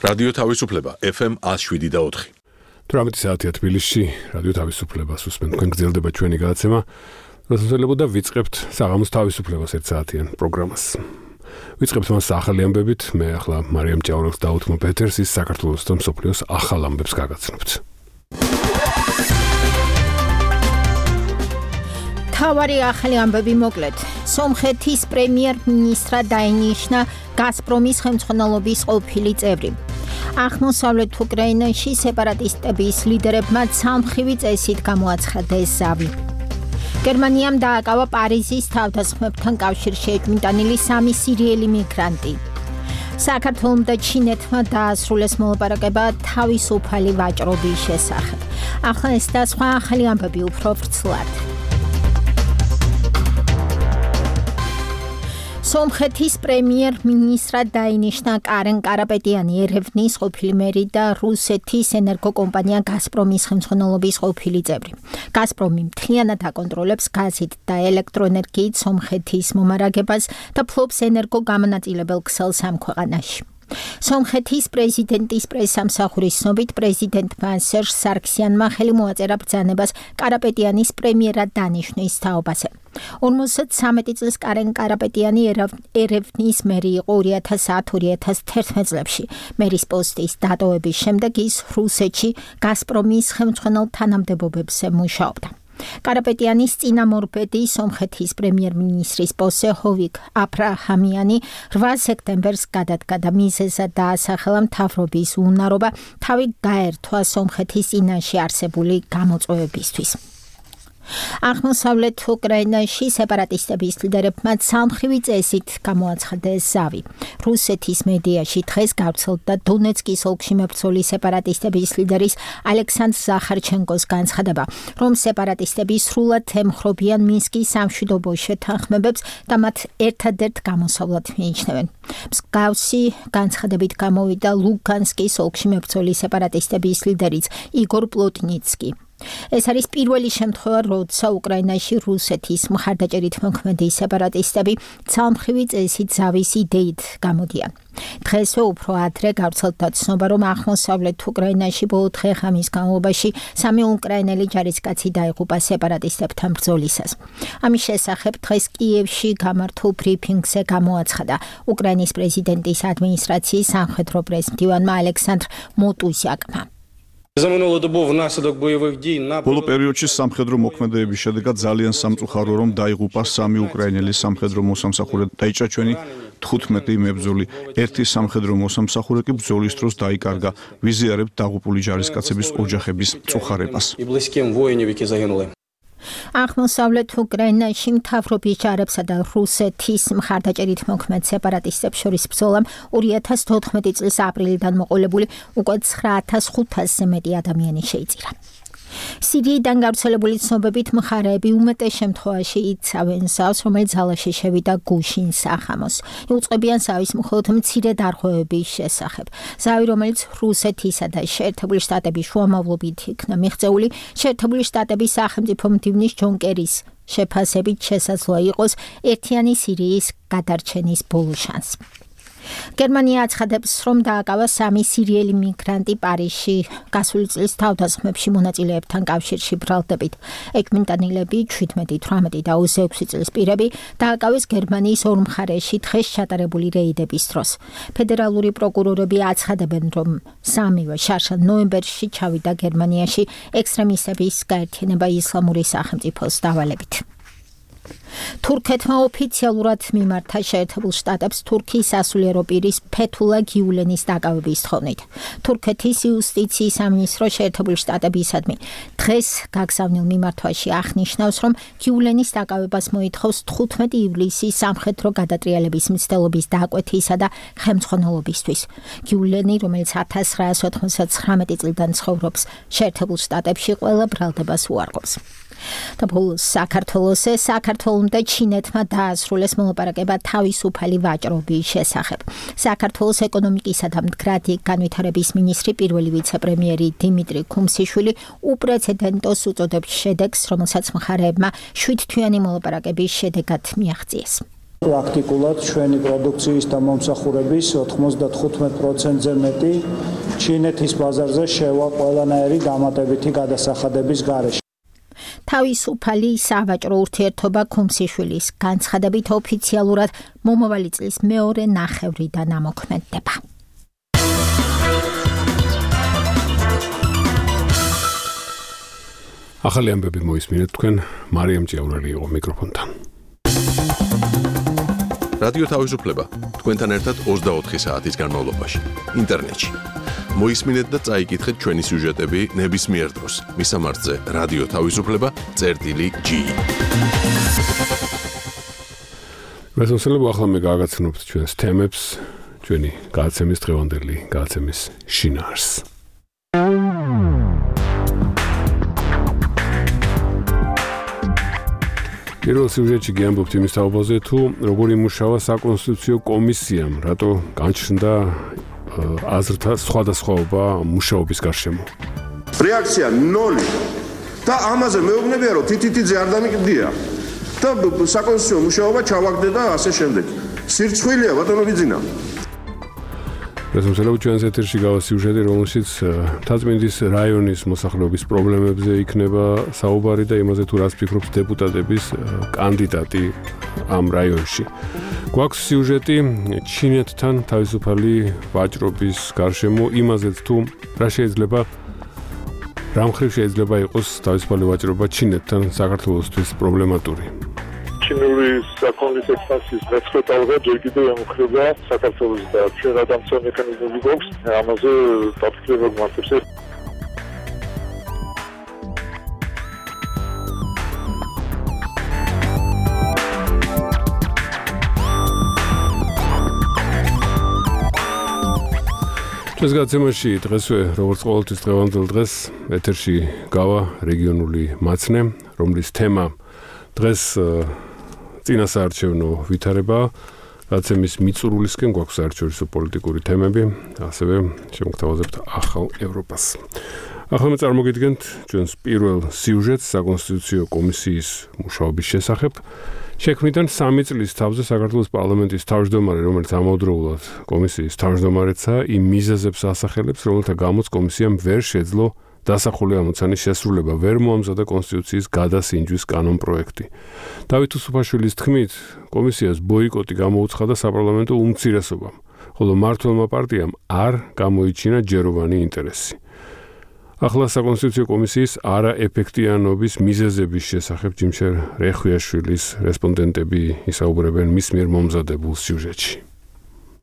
რადიო თავისუფლება FM 107.4. 18 საათია თბილისში, რადიო თავისუფლებას უსმენთ, თქვენ გრძელდება ჩვენი გადაცემა, როდესაც ვიწყებთ საღამოს თავისუფლებას 1 საათიან პროგრამას. ვიწყებთ მას ახალი ამბებით, მე ახლა მარიამ ჭაურელს და უთმო პეტერს ის საქართველოს და მსოფლიოს ახალ ამბებს გაგაცნობთ. თავარი ახალი ამბები მოკლედ. სომხეთის პრემიერ-მინისტრად დაინიშნა გაზპრომის ხელმძღვანელობის ყოფილი წევრი. აღმოსავლეთ უკრაინაში სეპარატისტების ლიდერებმა ცალმხრივი წესით გამოაცხადეს ზავი. გერმანიამ დააკავა პარიზის თავდასხმებთან კავშირში ეჭვმიტანილი 3 სირიელი მიგრანტი. საქართველომ და ჩინეთმა დაასრულეს მოლაპარაკება თავისუფალი ვაჭრობის შესახებ. ახლა ეს და სხვა ახალი ამბები უფრო ვრცლად. სომხეთის პრემიერ-მინისტრად დაინიშნა კარენ კარაპეტიანი, ერევნის ყოფილი მერი და რუსეთის ენერგოკომპანია გაზპრომის ხელმძღვანელობის ყოფილი წევრი. გაზპრომი მთლიანად აკონტროლებს გაზით და ელექტროენერგიით სომხეთის მომარაგებას და ფლობს ენერგოგამონაწილებელ ქსელს ამ ქვეყანაში. სომხეთის პრეზიდენტის პრესსამსახურის ცნობით პრეზიდენტმა სერჟ სარქსიანმა ხელი მოაწერა ბრძანებას კარაპეტიანის პრემიერად დანიშვნის თაობაზე. 53 წლის კარენ კარაპეტიანი ერევნის მერი იყო 2010-2011 წლებში. მერის პოსტის დატოვების შემდეგ ის რუსეთში გაზპრომის ხელმძღვანელ თანამდებობებზე მუშაობდა. კარაპეტიანის წინამორბედი სომხეთის პრემიერ-მინისტრის პოსტზე ჰოვიკ აფრაჰამიანი 8 სექტემბერს გადადგა და მიზეზად დაასახელა მთავრობის უნარობა თავი გაერთვა სომხეთის წინაშე არსებული გამოწვევებისთვის. აღმოსავლეთ უკრაინაში სეპარატისტების ლიდერებმა ცალმხრივი წესით გამოაცხადეს ზავი. რუსეთის მედიაში დღეს გავრცელდა დონეცკის ოლქში მებრძოლი სეპარატისტების ლიდერის ალექსანდრ ზახარჩენკოს განცხადება, რომ სეპარატისტები სრულად ემხრობიან მინსკის სამშვიდობო შეთანხმებებს და მათ ერთადერთ გამოსავლად მიიჩნევენ. მსგავსი განცხადებით გამოვიდა ლუგანსკის ოლქში მებრძოლი სეპარატისტების ლიდერიც იგორ პლოტნიცკი. ეს არის პირველი შემთხვევა, როცა უკრაინაში რუსეთის მხარდაჭერით მოქმედი სეპარატისტები ცალმხრივი წესით ზავის იდეით გამოდიან. დღესვე უფრო ადრე გავრცელდა ცნობა, რომ აღმოსავლეთ უკრაინაში ბოლო დღე-ღამის განმავლობაში 3 უკრაინელი ჯარისკაცი დაიღუპა სეპარატისტებთან ბრძოლისას. ამის შესახებ დღეს კიევში გამართულ ბრიფინგზე გამოაცხადა უკრაინის პრეზიდენტის ადმინისტრაციის სამხედრო პრეს-მდივანმა ალექსანდრ მოტუსიაკმა. ბოლო პერიოდში სამხედრო მოქმედებების შედეგად ძალიან სამწუხაროა, რომ დაიღუპა 3 უკრაინელი სამხედრო მოსამსახურე, დაიჭრა 15 მებრძოლი. ერთი სამხედრო მოსამსახურე კი ბრძოლის დროს დაიკარგა. ვიზიარებთ დაღუპული ჯარისკაცების ოჯახების მწუხარებას. აღმოსავლეთ უკრაინაში მთავრობის ჯარებსა და რუსეთის მხარდაჭერით მოქმედ სეპარატისტებს შორის ბრძოლამ 2014 წლის აპრილიდან მოყოლებული უკვე 9500-ზე მეტი ადამიანი შეიწირა. სირიიდან გავრცელებული ცნობებით მხარეები უმეტეს შემთხვევაში იცავენ ზავს, რომელიც ძალაში შევიდა გუშინ სახამოს. იუწყებიან ზავის მხოლოდ მცირე დარღვევების შესახებ. ზავი, რომელიც რუსეთისა და შეერთებული შტატების შუამავლობით იქნა მიღწეული, შეერთებული შტატების სახელმწიფო მდივნის ჯონ კერის შეფასებით შესაძლოა იყოს ერთიანი სირიის გადარჩენის ბოლო შანსი. გერმანია აცხადებს, რომ დააკავა 3 სირიელი მიგრანტი პარიზში გასული წლის თავდასხმებში მონაწილეებთან კავშირში ბრალდებით. ეჭვმიტანილები 17, 18 და 26 წლის პირები დააკავეს გერმანიის ორ მხარეში დღეს ჩატარებული რეიდების დროს. ფედერალური პროკურორები აცხადებენ, რომ 3-ვე შარშან ნოემბერში ჩავიდა გერმანიაში ექსტრემისტების გაერთიანება ისლამური სახელმწიფოს დავალებით. თურქეთმა ოფიციალურად მიმართა შეერთებულ შტატებს თურქიის სასულიერო პირის ფეთულა გიულენის დაკავების თხოვნით. თურქეთის იუსტიციის სამინისტრო შეერთებული შტატებისადმი დღეს გაგზავნილ მიმართვაში აღნიშნავს, რომ გიულენის დაკავებას მოითხოვს 15 ივლისის სამხედრო გადატრიალების მცდელობის დაკვეთისა და ხელმძღვანელობისთვის. გიულენი, რომელიც 1999 წლიდან ცხოვრობს შეერთებულ შტატებში, ყველა ბრალდებას უარყოფს. და ბოლოს საქართველომ და ჩინეთმა დაასრულეს მოლაპარაკება თავისუფალი ვაჭრობის შესახებ. საქართველოს ეკონომიკისა და მდგრადი განვითარების მინისტრი პირველი ვიცე-პრემიერი დიმიტრი ქუმსიშვილი უპრეცედენტოს უწოდებს შედეგს, რომელსაც მხარეებმა 7 თვიანი მოლაპარაკების შედეგად მიაღწიეს. პრაქტიკულად ჩვენი პროდუქციის და მომსახურების 95%-ზე მეტი ჩინეთის ბაზარზე შევა ყველანაირი დამატებითი გადასახადების გარეშე. თავისუფალი სავაჭრო ურთიერთობა ქუმსიშვილის განცხადებით ოფიციალურად მომავალი წლის მეორე ნახევრიდან ამოქმედდება. ახალი ამბები მოისმინეთ თქვენ მარიამ ჭიაურელი იყო მიკროფონთან. რადიო თავისუფლება თქვენთან ერთად 24 საათის განმავლობაში ინტერნეტში. მოისმინეთ და წაიკითხეთ ჩვენი სიუჟეტები ნებისმიერ დროს. მისამართზე რადიო თავისუფლება.gi. მესამსელებო ახლა მე გააგაცნობთ ჩვენს თემებს, ჩვენი გადაცემის დღევანდელი გადაცემის შინაარსს. პირველ სიუჟეტში გიამბობთ იმის თაობაზე, თუ როგორ იმუშავა საკონსტიტუციო კომისიამ, რატო განჩნდა აზრთა სხვადასხვაობა მუშაობის გარშემო. რეაქცია 0 და ამაზე მეუბნებია, რომ თითითიძე არ დამიკდია და საკონსტიტუციო მუშაობა ჩავაგდე და ასე შემდეგ. სირცხვილია ბატონო ბიძინა. მესამსელებო ჩვენს ეთერში გავა სიუჟეტი, რომელშიც მთაწმინდის რაიონის მოსახლეობის პრობლემებზე იქნება საუბარი და იმაზე თუ რას ფიქრობს დეპუტატების კანდიდატი ამ რაიონში. გვაქვს სიუჟეტი ჩინეთთან თავისუფალი ვაჭრობის გარშემო, იმაზეც თუ რა მხრივ შეიძლება იყოს თავისუფალი ვაჭრობა ჩინეთთან საქართველოსთვის პრობლემატური. ჩინური საქონლის ექსპანსიის მეცხრე ტალღა ჯერ კიდევ ემუქრება საქართველოს და ჩვენ ადამიანთა მექანიზმები გვაქვს ამაზე დაფიქრება გვმართებს. ჩვენს გადაცემაში დღესვე, როგორც ყოველთვის დღევანდელ დღეს, ეთერში გავა რეგიონული მაცნე, რომლის თემა დღეს წინასაარჩევნო ვითარება, გადაცემის მიწურულისკენ გვაქვს საერთაშორისო პოლიტიკური თემები, ასევე შემოგთავაზებთ ახალ ევროპას. ახლა მე წარმოგიდგენთ ჩვენს პირველ სიუჟეტს საკონსტიტუციო კომისიის მუშაობის შესახებ. შექმნიდან 3 წლის თავზე საქართველოს პარლამენტის თავმჯდომარე, რომელიც ამავდროულად კომისიის თავმჯდომარეცა, იმ მიზეზებს ასახელებს, რომელთა გამოც კომისიამ ვერ შეძლო დასახული ამოცანის შესრულება, ვერ მოამზადა კონსტიტუციის გადასინჯვის კანონპროექტი. დავით უსუფაშვილის თქმით, კომისიას ბოიკოტი გამოუცხადა საპარლამენტო უმცირესობამ, ხოლო მმართველმა პარტიამ არ გამოიჩინა ჯეროვანი ინტერესი. ახლა საკონსტიტუციო კომისიის არაეფექტიანობის მიზეზების შესახებ ჯიმშერ რეხვიაშვილის რესპონდენტები ისაუბრებენ მის მიერ მომზადებულ სიუჟეტში.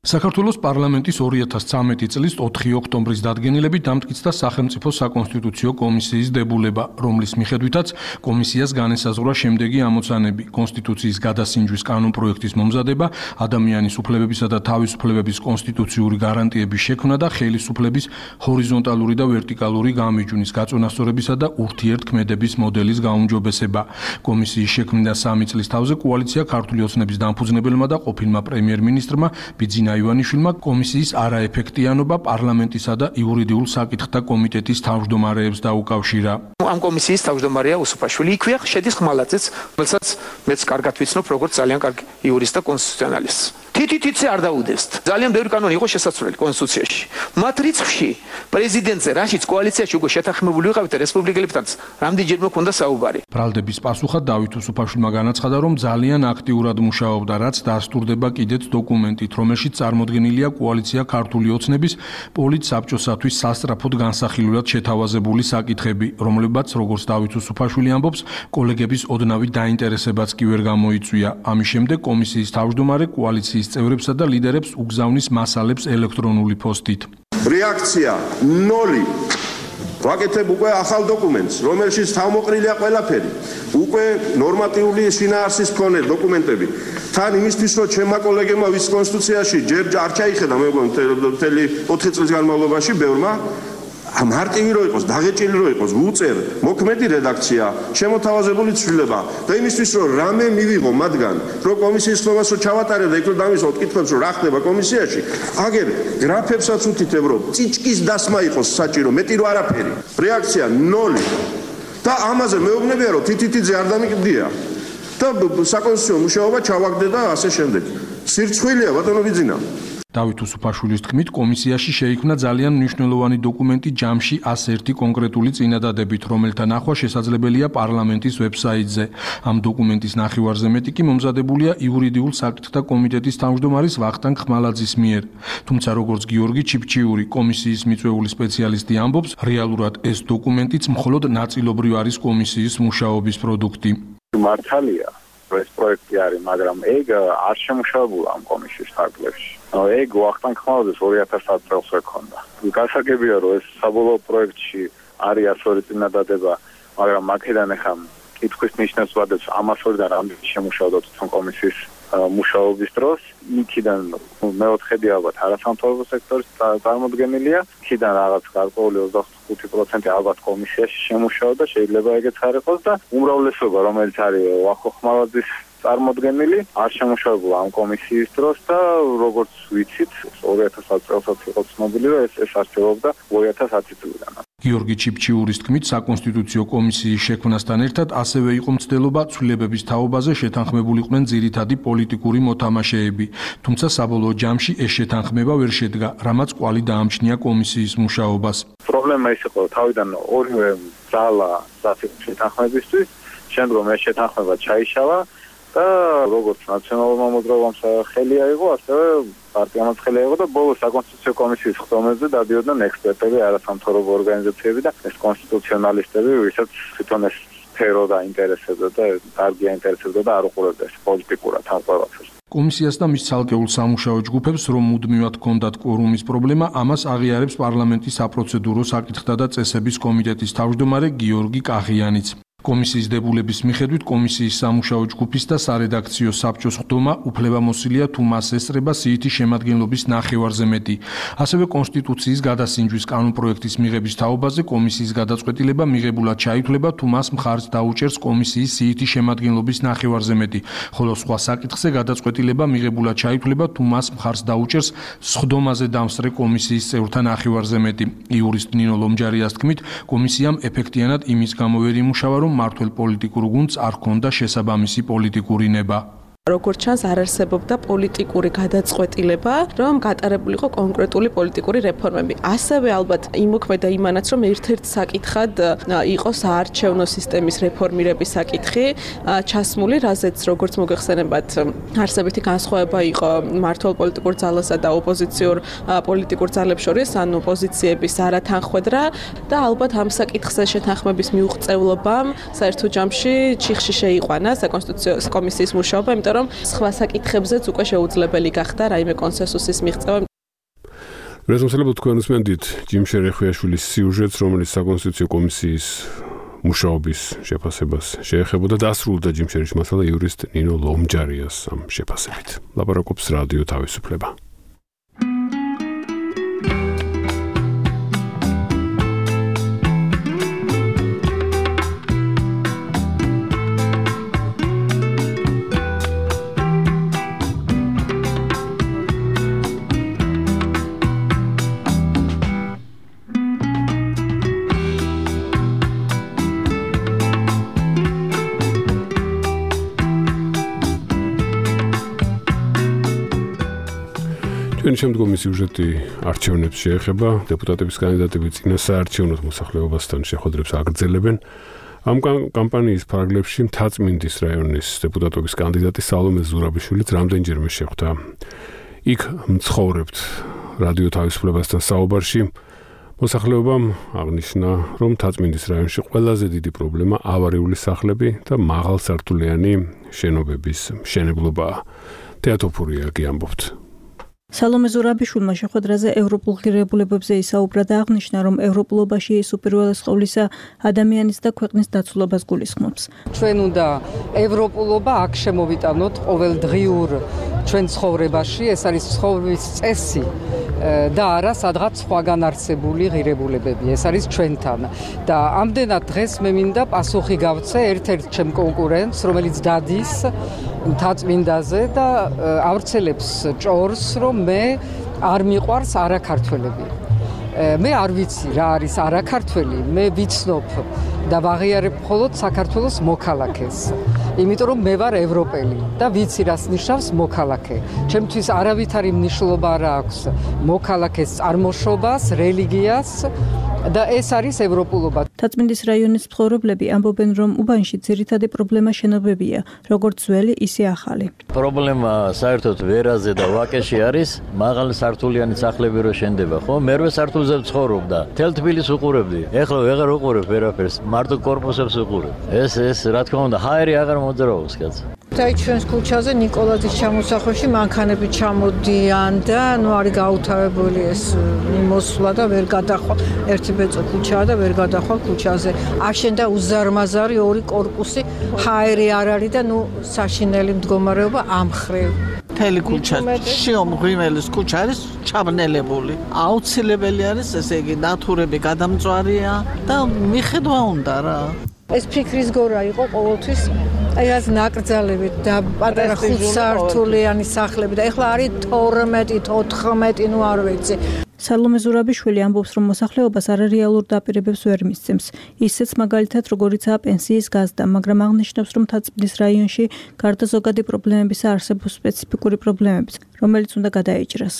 საქართველოს პარლამენტის 2013 წლის 4 ოქტომბრის დადგენილებით დამტკიცდა სახელმწიფო საკონსტიტუციო კომისიის დებულება, რომლის მიხედვითაც კომისიას განესაზღვრა შემდეგი ამოცანები: კონსტიტუციის გადასინჯვის კანონპროექტის მომზადება, ადამიანის უფლებებისა და თავისუფლებების კონსტიტუციური გარანტიების შექმნა და ხელისუფლების ჰორიზონტალური და ვერტიკალური გამიჯვნის, გაწონასწორებისა და ურთიერთქმედების მოდელის გაუმჯობესება. კომისიის შექმნიდან 3 წლის თავზე კოალიცია ქართული ოცნების დამფუძნებელმა და ყოფილმა პრემიერ-მინისტრმა ბიძინა ივანიშვილმა კომისიის არაეფექტიანობა პარლამენტისა და იურიდიულ საკითხთა კომიტეტის თავმჯდომარეებს დაუკავშირა. ამ კომისიის თავმჯდომარეა უსუფაშვილი, იქვეა შედის ხმალაძეც, რომელსაც მეც კარგად ვიცნობ, როგორც ძალიან კარგი იურისტ და კონსტიტუციონალისტს. თითითიცე არ დაუდეს. ძალიან ბევრი კანონი იყო შესაძლებელი კონსტიტუციაში. მათ რიცხვში პრეზიდენტზე, რაშიც კოალიციაში უკვე შეთანხმებული ვიყავით რესპუბლიკელებთან, რამდენჯერმე ჰქონდა საუბარი. ბრალდების პასუხად დავით უსუფაშვილმა განაცხადა, რომ ძალიან აქტიურად მუშაობდა, რაც დასტურდება კიდეც დოკუმენტით, რომელშიც წარმოდგენილია კოალიცია ქართული ოცნების პოლიტსაბჭოსათვის სასწრაფოდ განსახილულად შეთავაზებული საკითხები, რომლებიც, როგორც დავით უსუფაშვილი ამბობს, კოლეგების ოდნავი დაინტერესებაც კი ვერ გამოიწვია. ამის შემდეგ კომისიის თავმჯდომარე კოალიციის წევრებსა და ლიდერებს უგზავნის მასალებს ელექტრონული პოსტით. რეაქცია 0. ვაკეთებ უკვე ახალ დოკუმენტს, რომელშიც თავმოყრილია ყველაფერი. უკვე ნორმატიული შინაარსის მქონე დოკუმენტები. თან იმისთვის, რომ ჩემმა კოლეგებმა ვის კონსტიტუციაში ჯერ არ ჩაიხედა, მე მგონი მთელი 4 წლის განმავლობაში ბევრმა მარტივი რო იყოს, დაღეჭილი რო იყოს, უწერ, მოქმედი რედაქცია, შემოთავაზებული ცვლილება და იმისთვის, რომ რამე მივიღო მათგან, რომ კომისიის ხმას რო ჩავატარებ და იქ რო დამისვათ კითხვებს, რომ რა ხდება კომისიაში, აგერ გრაფებსაც უთითებ, რომ წიჭკის დასმა იყოს საჭირო, მეტი რო არაფერი. რეაქცია 0. და ამაზე მეუბნებია, რომ თითითიძე არ დამიკდია და საკონსტიტუციო მუშაობა ჩავაგდე და ასე შემდეგ. სირცხვილია ბატონო ბიძინა. დავით უსუფაშვილის თქმით, კომისიაში შეიქმნა ძალიან მნიშვნელოვანი დოკუმენტი ჯამში 101 კონკრეტული წინადადებით, რომელთა ნახვა შესაძლებელია პარლამენტის ვებსაიტზე. ამ დოკუმენტის ნახევარზე მეტი კი მომზადებულია იურიდიულ საკითხთა კომიტეტის თავმჯდომარის ვახტანგ ხმალაძის მიერ. თუმცა როგორც გიორგი ჩიფჩიური, კომისიის მიწვეული სპეციალისტი ამბობს, რეალურად ეს დოკუმენტიც მხოლოდ ნაწილობრივ არის კომისიის მუშაობის პროდუქტი. მართალია, ეს პროექტი არის, მაგრამ ეგ არ შემუშავებულა ამ კომისიის ფარგლებში. ეგ ვახტანგ ხმალაძეს 2010 წელს ეკონდა. გასაგებია, რომ ეს საბოლოო პროექტში არის 102 წინადადება, მაგრამ აქედან ახლა კითხვის ნიშნებს ვადებს 102-დან რამდენი შემუშავდა თვითონ კომისიის მუშაობის დროს. იქიდან მეოთხედი ალბათ არასამთავრობო სექტორის წარმოდგენილია, იქიდან რაღაც გარკვეული 25% ალბათ კომისიაში შემუშავდა, შეიძლება ეგეც არ იყოს და უმრავლესობა, რომელიც არის ვახო ხმალაძის წარმოდგენილი, არ შემუშავებულა ამ კომისიის დროს და როგორც ვიცით, 2010 წელსაც იყო ცნობილი, რომ ეს არსებობდა 2010 წლიდან. გიორგი ჩიფჩიურის თქმით, საკონსტიტუციო კომისიის შექმნასთან ერთად ასევე იყო მცდელობა ცვლილებების თაობაზე შეთანხმებულიყვნენ ძირითადი პოლიტიკური მოთამაშეები, თუმცა საბოლოო ჯამში ეს შეთანხმება ვერ შედგა, რამაც კვალი დაამჩნია კომისიის მუშაობას. პრობლემა ის იყო, თავიდან ორივე ძალა შეთანხმებისთვის, შემდგომ ეს შეთანხმება ჩაიშალა და როგორც ნაციონალურმა მოძრაობამ ხელი აიღო, ასევე პარტიამაც ხელი აიღო და ბოლოს საკონსტიტუციო კომისიის ხდომებზე დადიოდნენ ექსპერტები, არასამთავრობო ორგანიზაციები და ეს კონსტიტუციონალისტები, ვისაც თვითონ ეს სფერო დაინტერესებდა და კარგი აინტერესებდა და არ უყურებდა ეს პოლიტიკურად ამ ყველაფერს. კომისიას და მის ცალკეულ სამუშაო ჯგუფებს, რომ მუდმივად ჰქონდათ კვორუმის პრობლემა, ამას აღიარებს პარლამენტის საპროცედურო საკითხთა და წესების კომიტეტის თავმჯდომარე გიორგი კაღიანიც. კომისიის დებულების მიხედვით კომისიის სამუშაო ჯგუფის და სარედაქციო საბჭოს ხდომა უფლებამოსილია თუ მას ესწრება სიითი შემადგენლობის ნახევარზე მეტი. ასევე კონსტიტუციის გადასინჯვის კანონპროექტის მიღების თაობაზე კომისიის გადაწყვეტილება მიღებულად ჩაითვლება თუ მას მხარს დაუჭერს კომისიის სიითი შემადგენლობის ნახევარზე მეტი, ხოლო სხვა საკითხზე გადაწყვეტილება მიღებულად ჩაითვლება თუ მას მხარს დაუჭერს სხდომაზე დამსწრე კომისიის წევრთა ნახევარზე მეტი. იურისტ ნინო ლომჯარიას თქმით, კომისიამ ეფექტიანად იმის გამო ვერ იმუშავა, რომ მართლ პოლიტიკურ გუნდს არ ჰქონდა შესაბამისი პოლიტიკური ნება. როგორც ჩანს, არ არსებობდა პოლიტიკური გადაწყვეტილება, რომ გატარებული იყო კონკრეტული პოლიტიკური რეფორმები. ასევე ალბათ იმოქმედა იმანაც, რომ ერთ-ერთ საკითხად იყო საარჩევნო სისტემის რეფორმირების საკითხი ჩასმული, რაზეც როგორც მოგეხსენებათ, არსებითი განსხვავება იყო მართლ პოლიტიკურ ძალასა და ოპოზიციურ პოლიტიკურ ძალებს შორის, ანუ პოზიციების არათანხვედრა და ალბათ ამ საკითხზე შეთანხმების მიუღწევლობამ საერთო ჯამში ჩიხში შეიყვანა საკონსტიტუციო კომისიის მუშაობა, იმიტომ რომ სხვა საკითხებზეც უკვე შეუძლებელი გახდა რაიმე კონსენსუსის მიღწევა. რეზოლუციებად თქვენ უსმენთ ჯიმ შერეხვიაშვილის სიუჟეტს, რომელიც საკონსტიტუციო კომისიის მუშაობის შეფასებას შეეხებოდა და დასრულდა ჯიმ შერის მასალა იურისტ ნინო ლომჯარიას ამ შეფასებით. ლაპარაკობს რადიო თავისუფლება. შემდგომი სიუჟეტი არჩევნებს შეეხება, დეპუტატების კანდიდატები წინა საარჩევნო მოსახლეობასთან შეხვედრებს აგრძელებენ. ამ კამპანიის ფარგლებში მთაწმინდის რაიონის დეპუტატობის კანდიდატი სალომე ზურაბიშვილიც რამდენჯერმე შეხვდა. იქ მცხოვრებთ რადიო თავისუფლებასთან საუბარში მოსახლეობამ აღნიშნა, რომ მთაწმინდის რაიონში ყველაზე დიდი პრობლემა ავარიული სახლები და მაღალსართულიანი შენობების მშენებლობაა. თეატოფურია კი ამბობთ. სალომე ზურაბიშვილმა შეხვედრაზე ევროპულ ღირებულებებზე ისაუბრა და აღნიშნა, რომ ევროპულობაში ის უპირველეს ყოვლისა ადამიანის და ქვეყნის დაცულობას გულისხმობს. ჩვენ უნდა ევროპულობა აქ შემოვიტანოთ ყოველდღიურ ჩვენ ცხოვრებაში, ეს არის ცხოვრების წესი და არა სადღაც სხვაგან არსებული ღირებულებები, ეს არის ჩვენთან. და ამდენად დღეს მე მინდა პასუხი გავცე ერთ-ერთ ჩემ კონკურენტს, რომელიც დადის მთაწმინდაზე და ავრცელებს ჭორს, რომ მე არ მიყვარს არაქართველები. მე არ ვიცი რა არის არაქართველი, მე ვიცნობ და ვაღიარებ მხოლოდ საქართველოს მოქალაქეს. იმიტომ რომ მე ვარ ევროპელი და ვიცი რას ნიშნავს მოქალაქე. ჩემთვის არავითარი მნიშვნელობა არ აქვს მოქალაქეს წარმოშობას, რელიგიას და ეს არის ევროპულობა. თაწმინდის რაიონის მცხოვრებლები ამბობენ, რომ უბანში ძირითადი პრობლემა შენობებია, როგორც ძველი, ისე ახალი. პრობლემა საერთოდ ვერაზე და ვაკეში არის, მაღალი სართულიანი სახლები რო შენდება, ხო? მერვე სართულზე ვცხოვრობდა. თელ თბილისს უყურებდი. ეხლა ვეღარ უყურებ ვერაფერს, მარტო კორპუსებს უყურებ. ეს რა თქმა უნდა, ჰაერი აღარ მოძრაობს, კაცო. აი ჩვენს ქუჩაზე ნიკოლაძის ჩამოსახვევში მანქანები ჩამოდიან და არის გაუთავებული ეს მოსვლა და ვერ გადახვალ. ერთი ბეწო ქუჩაა და ვერ გადახვალ ქუჩაზე. აშენდა უზარმაზარი ორი კორპუსი, ჰაერი არ არის და საშინელი მდგომარეობა ამხრივ. მთელი ქუჩა შიომ ღრიმელის ქუჩა არის ჩაბნელებული. აუცილებელი არის ესე იგი ნათურები გადამწვარია და მიხედვა უნდა რა. ეს ფიქრის გორა იყო ყოველთვის აი ეს ნაკრძალებით და პატარა ხუთსართულიანი სახლები და ეხლა არის 12, 14, არ ვიცი. სალომე ზურაბიშვილი ამბობს, რომ მოსახლეობას არარეალურ დაპირებებს ვერ მისცემს. ისეც მაგალითად, როგორიცაა პენსიის გაზრდა, მაგრამ აღნიშნავს, რომ თაწმინდის რაიონში გარდა ზოგადი პრობლემებისა არსებობს სპეციფიკური პრობლემებიც, რომელიც უნდა გადაეჭრას.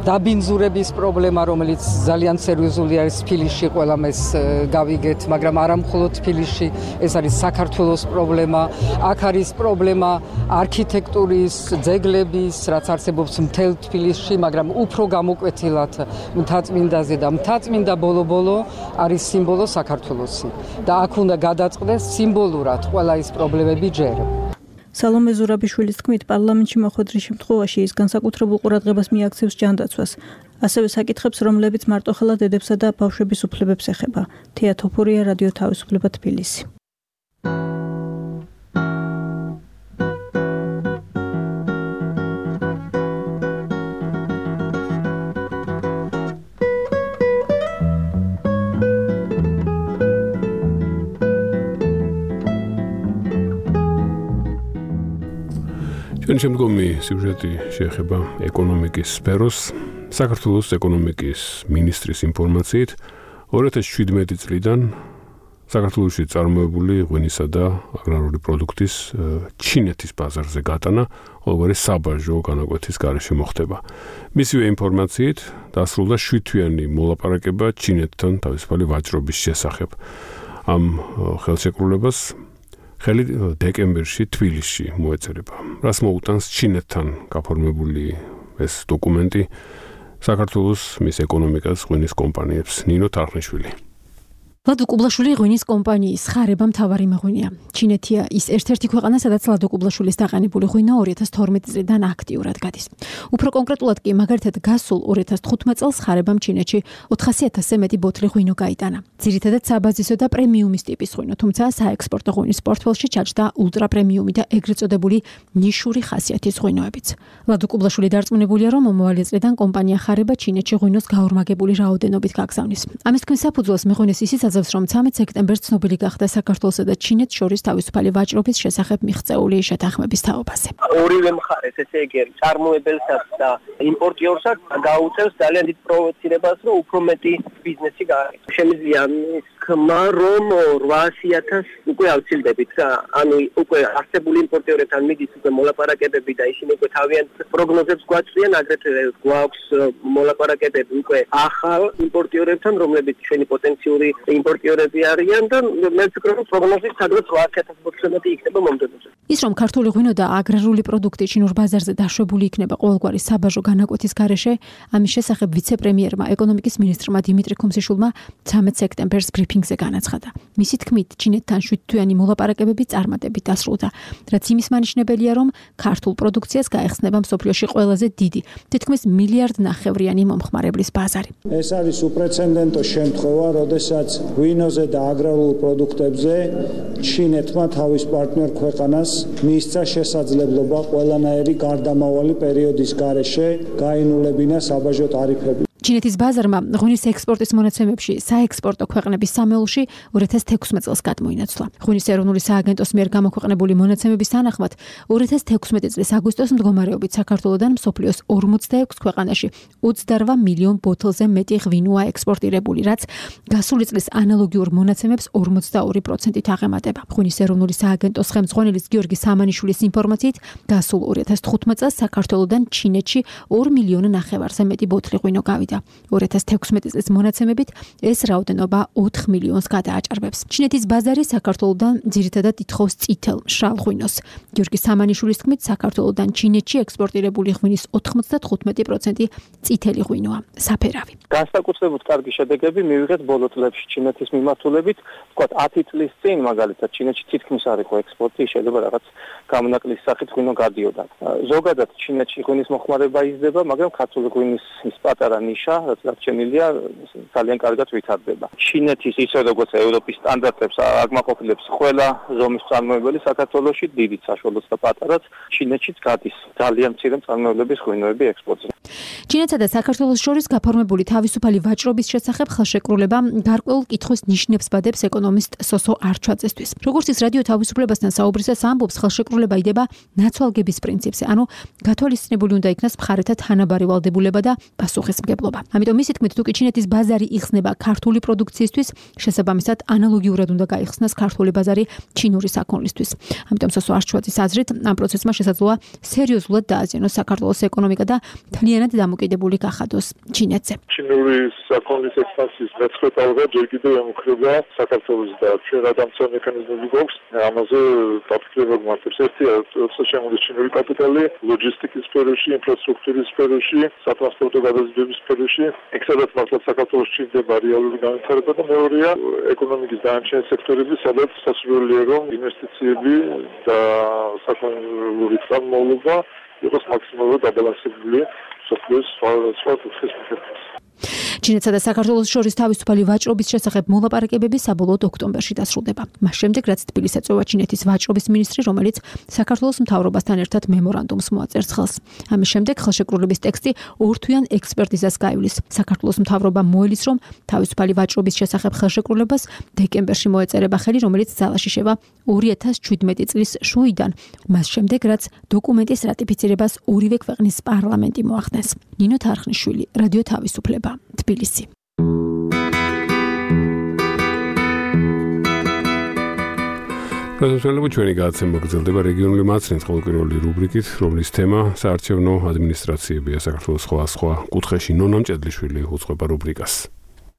დაბინძურების პრობლემა, რომელიც ძალიან სერიოზული არის თბილისში, ყველამ ეს გავიგეთ, მაგრამ არა მხოლოდ თბილისში, ეს არის საქართველოს პრობლემა. აქ არის პრობლემა არქიტექტურის, ძეგლების, რაც არსებობს მთელ თბილისში, მაგრამ უფრო გამოკვეთილად მთაწმინდაზე და მთაწმინდა ბოლო-ბოლო არის სიმბოლო საქართველოსი და აქ უნდა გადაწყდეს სიმბოლურად ყველა ის პრობლემები ჯერ. სალომე ზურაბიშვილის თქმით, პარლამენტში მოხვედრის შემთხვევაში ის განსაკუთრებულ ყურადღებას მიაქცევს ჯანდაცვას. ასევე საკითხებს, რომლებიც მარტოხელა დედებსა და ბავშვების უფლებებს ეხება. თეა თოფურია, რადიო თავისუფლება, თბილისი. ჩვენ შემდგომი სიუჟეტი შეეხება ეკონომიკის სფეროს. საქართველოს ეკონომიკის მინისტრის ინფორმაციით 2017 წლიდან საქართველოში წარმოებული ღვინისა და აგრარული პროდუქტის ჩინეთის ბაზარზე გატანა ყოველგვარი საბაჟო განაკვეთის გარეშე მოხდება. მისივე ინფორმაციით დასრულდა 7-თვიანი მოლაპარაკება ჩინეთთან თავისუფალი ვაჭრობის შესახებ. ამ ხელშეკრულებას ხელი დეკემბერში თბილისში მოეწერება. რას მოუტანს ჩინეთთან გაფორმებული ეს დოკუმენტი საქართველოს მის ეკონომიკას ღვინის კომპანიებს? ნინო თარხნიშვილი. ლადო კუბლაშვილი ღვინის კომპანიის ხარება მთავარი მეღვინეა. ჩინეთია ის ერთ-ერთი ქვეყანა, სადაც ლადო კუბლაშვილის დაყენებული ღვინო 2012 წლიდან აქტიურად გადის. უფრო კონკრეტულად კი, მაგალითად, გასულ 2015 წელს ხარებამ ჩინეთში 400,000-ზე მეტი ბოთლი ღვინო გაიტანა. ძირითადად საბაზისო და პრემიუმის ტიპის ღვინო, თუმცა საექსპორტო ღვინის პორტფელში ჩაჯდა ულტრა პრემიუმი და ეგრეთ წოდებული ნიშური ხასიათის ღვინოებიც. ლადო კუბლაშვილი დარწმუნებულია, რომ მომავალი წლიდან კომპანია ხარება ჩინეთში ღვინოს გაორმაგებული რაოდენობით გაგზავნის. ამის თქმის საფუძველს მეღვინეს ისიც რომ 13 სექტემბერს ცნობილი გახდა საქართველოსა და ჩინეთს შორის თავისუფალი ვაჭრობის შესახებ მიღწეული შეთანხმების თაობაზე. ორივე მხარეს, ესე იგი, წარმოებელსაც და იმპორტიორსაც გაუწევს ძალიან დიდ პროვოცირებას, რომ უფრო მეტი ბიზნესი გააკეთოს. შემიძლია ის ხმა, რომ 800,000 უკვე ავცილდებით რა. ანუ უკვე არსებული იმპორტიორებთან მიდის უკვე მოლაპარაკებები და ისინი უკვე თავიანთ პროგნოზებს გვაწვდიან, აგრეთვე გვაქვს მოლაპარაკებები უკვე ახალ იმპორტიორებთან, რომლებიც ჩვენი პოტენციური იმპორტიორები არიან და მე ვფიქრობ, რომ პროგნოზი სადღაც 800,000 ბოთლამდე იქნება მომდევნო წელს. ის რომ ქართული ღვინო და აგრარული პროდუქტი ჩინურ ბაზარზე დაშვებული იქნება ყოველგვარი საბაჟო განაკვეთის გარეშე, ამის შესახებ ვიცე-პრემიერმა ეკონომიკის მინისტრმა დიმიტრი ქუმსიშვილმა 13 სექტემბერს ბრიფინგზე განაცხადა. მისი თქმით, ჩინეთთან 7-თვიანი მოლაპარაკებები წარმატებით დასრულდა, რაც იმის მანიშნებელია, რომ ქართულ პროდუქციას გაეხსნება მსოფლიოში ყველაზე დიდი, თითქმის 1,5 მილიარდიანი მომხმარებლის ბაზარი. ეს არის უპრეცედენტო შემთხვევა, როდესაც ღვინოზე და აგრარულ პროდუქტებზე ჩინეთმა თავის პარტნიორ ქვეყანას მისცა შესაძლებლობა ყველანაირი გარდამავალი პერიოდის გარეშე გაინულებინა საბაჟო ტარიფები. ჩინეთის ბაზარმა ღვინის ექსპორტის მონაცემებში საექსპორტო ქვეყნების სამეულში 2016 წელს გადმოინაცვლა. ღვინის ეროვნული სააგენტოს მიერ გამოქვეყნებული მონაცემების თანახმად 2016 წლის აგვისტოს მდგომარეობით საქართველოდან მსოფლიოს 46 ქვეყანაში 28 მილიონ ბოთლზე მეტი ღვინოა ექსპორტირებული, რაც გასული წლის ანალოგიურ მონაცემებს 42%-ით აღემატება. ღვინის ეროვნული სააგენტოს ხელმძღვანელის გიორგი სამანიშვილის ინფორმაციით, გასულ 2015 წელს საქართველოდან ჩინეთში 2 მილიონი ნახევარზე მეტი ბოთლი ღვინო გავიდა. 2016 წლის მონაცემებით ეს რაოდენობა 4 მილიონს გადააჭარბებს. ჩინეთის ბაზარი საქართველოდან ძირითადად ითხოვს წითელ მშრალ ღვინოს. გიორგი სამანიშვილის თქმით, საქართველოდან ჩინეთში ექსპორტირებული ღვინის 95% წითელი ღვინოა, საფერავი. განსაკუთრებით კარგი შედეგები მივიღეთ ბოლო წლებში ჩინეთის მიმართულებით, ვთქვათ 10 წლის წინ მაგალითად ჩინეთში თითქმის არ იყო ექსპორტი, შეიძლება რაღაც გამონაკლისის სახით ღვინო გადიოდა. ზოგადად ჩინეთში ღვინის მოხმარება იზრდება, მაგრამ ქართული ღვინის ის პატარა ნიშა, რაც დარჩენილია, ძალიან კარგად ვითარდება. ჩინეთის ისე როგორც ევროპის სტანდარტებს აგმაყოფილებს ყველა ზომის წარმოებელი საქართველოში, დიდიც საშუალოც და პატარაც, ჩინეთშიც გადის ძალიან მცირე მწარმოებლების ღვინოები ექსპორტზე. ჩინეთსა და საქართველოს შორის გაფორმებული თავისუფალი ვაჭრობის შესახებ ხელშეკრულება გარკვეულ კითხვის ნიშნებს ბადებს ეკონომისტ სოსო არჩვაძესთვის. როგორც ის რადიო თავისუფლებასთან საუბრისას ამბობს, ხელშეკრულება იდება ნაცვალგების პრინციპზე, ანუ გათვალისწინებული უნდა იქნას მხარეთა თანაბარი ვალდებულება და პასუხისმგებლობა. ამიტომ მისი თქმით, თუ კი ჩინეთის ბაზარი იხსნება ქართული პროდუქციისთვის, შესაბამისად ანალოგიურად უნდა გაიხსნას ქართული ბაზარი ჩინური საქონლისთვის. ამიტომ სოსო არჩვაძის აზრით, ამ პროცესმა შესაძლოა სერიოზულად დააზიანოს საქართველოს ეკონომიკა და მთლიანად დამოკიდებული გახადოს ჩინეთზე. ჩინური საქონლის ექსპანსიის მეცხრე ტალღა ჯერ კიდევ ემუქრება საქართველოს და ჩვენ რადამცა მექანიზმები გვაქვს ამაზე დაფიქრება გვმართებს. ერთია როცა ჩინური კაპიტალი ლოჯისტიკის სფეროში, ინფრასტრუქტურის სფეროში, სატრანსპორტო გადაზიდვების სფეროში, ეგ სადაც მართლაც საქართველოს ჭირდება რეალური განვითარება და მეორეა ეკონომიკის დანარჩენი სექტორები, სადაც სასურველია რომ ინვესტიციები და საქონლური წარმოება იყოს მაქსიმალურად დაბალანსებული სოფლის სხვა კუთხის მიხედვით. ჩინეთსა და საქართველოს შორის თავისუფალი ვაჭრობის შესახებ მოლაპარაკებები საბოლოოდ ოქტომბერში დასრულდება. მას შემდეგ, რაც თბილისს ეწევა ჩინეთის ვაჭრობის მინისტრი, რომელიც საქართველოს მთავრობასთან ერთად მემორანდუმს მოაწერს ხელს. ამის შემდეგ ხელშეკრულების ტექსტი ორთვიან ექსპერტიზას გაივლის. საქართველოს მთავრობა მოელის, რომ თავისუფალი ვაჭრობის შესახებ ხელშეკრულებას დეკემბერში მოეწერება ხელი, რომელიც ძალაში შევა 2017 წლის შუიდან, მას შემდეგ, რაც დოკუმენტის რატიფიცირებას ორივე ქვეყნის პარლამენტი მოახდენს. ნინო თარხნიშვილი, რადიო თავისუფლება, თბილისი. პრეზიდენტები ჩვენი გადაცემა გრძელდება რეგიონული მაცნით ყოველკვირეული რუბრიკით, რომლის თემა საარჩევნო ადმინისტრაციებია საქართველოს სხვა კუთხეში. ნონა მჭედლიშვილი უძღვება რუბრიკას.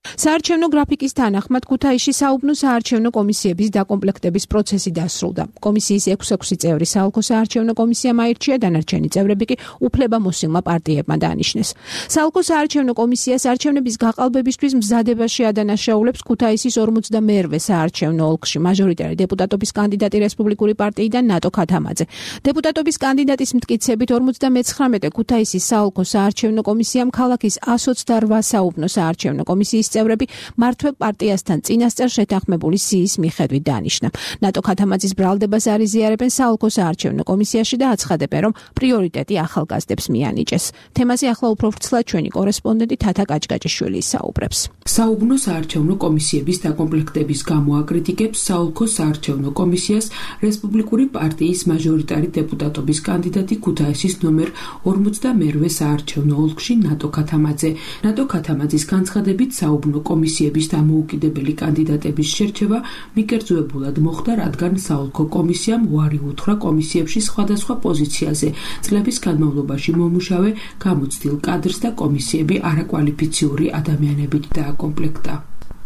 საარჩევნო გრაფიკის თანახმად ქუთაისში საუბნო საარჩევნო კომისიების დაკომპლექტების პროცესი დასრულდა. კომისიის 6 წევრი საალქო საარჩევნო კომისიამ აირჩია, დანარჩენი წევრები კი უფლებამოსილმა პარტიებმა დაანიშნეს. საალქო საარჩევნო კომისიას არჩევნების გაყალბებისთვის მზადებაში ადანაშაულებს ქუთაისის 42-ვე საარჩევნო ოლქში მაჟორიტარი დეპუტატობის კანდიდატი რესპუბლიკური პარტიიდან ნატო ქათამაძე. დეპუტატობის კანდიდატის მტკიცებით 59 ქუთაისის საალქო საარჩევნო კომისიამ ქალაქის 128 საუბნო საარჩევნო კომისიის წევრები მართვე პარტიასთან წინასწარ შეთანხმებული სიის მიხედვით დაანიშნა. ნატო ქათამაძის ბრალდებას არ იზიარებენ საალქო საარჩევნო კომისიაში და აცხადებენ, რომ პრიორიტეტი ახალგაზრდებს მიანიჭეს. თემაზე ახლა უფრო ვრცლად ჩვენი კორესპონდენტი თათა კაჭკაჭიშვილი საუბრებს. საუბნო საარჩევნო კომისიების დაკომპლექტების გამო აკრიტიკებს საალქო საარჩევნო კომისიას რესპუბლიკური პარტიის მაჟორიტარი დეპუტატობის კანდიდატი ქუთაისის ნომერ 42-ვე საარჩევნო ოლქში ნატო ქათამაძე. ნატო ქათამაძის განცხადებით საუბნო კომისიების დამოუკიდებელი კანდიდატების შერჩევა მიკერძოებულად მოხდა, რადგან საოლქო კომისიამ უარი უთხრა კომისიებში სხვადასხვა პოზიციაზე წლების განმავლობაში მომუშავე გამოცდილ კადრს და კომისიები არაკვალიფიციური ადამიანებით დააკომპლექტა.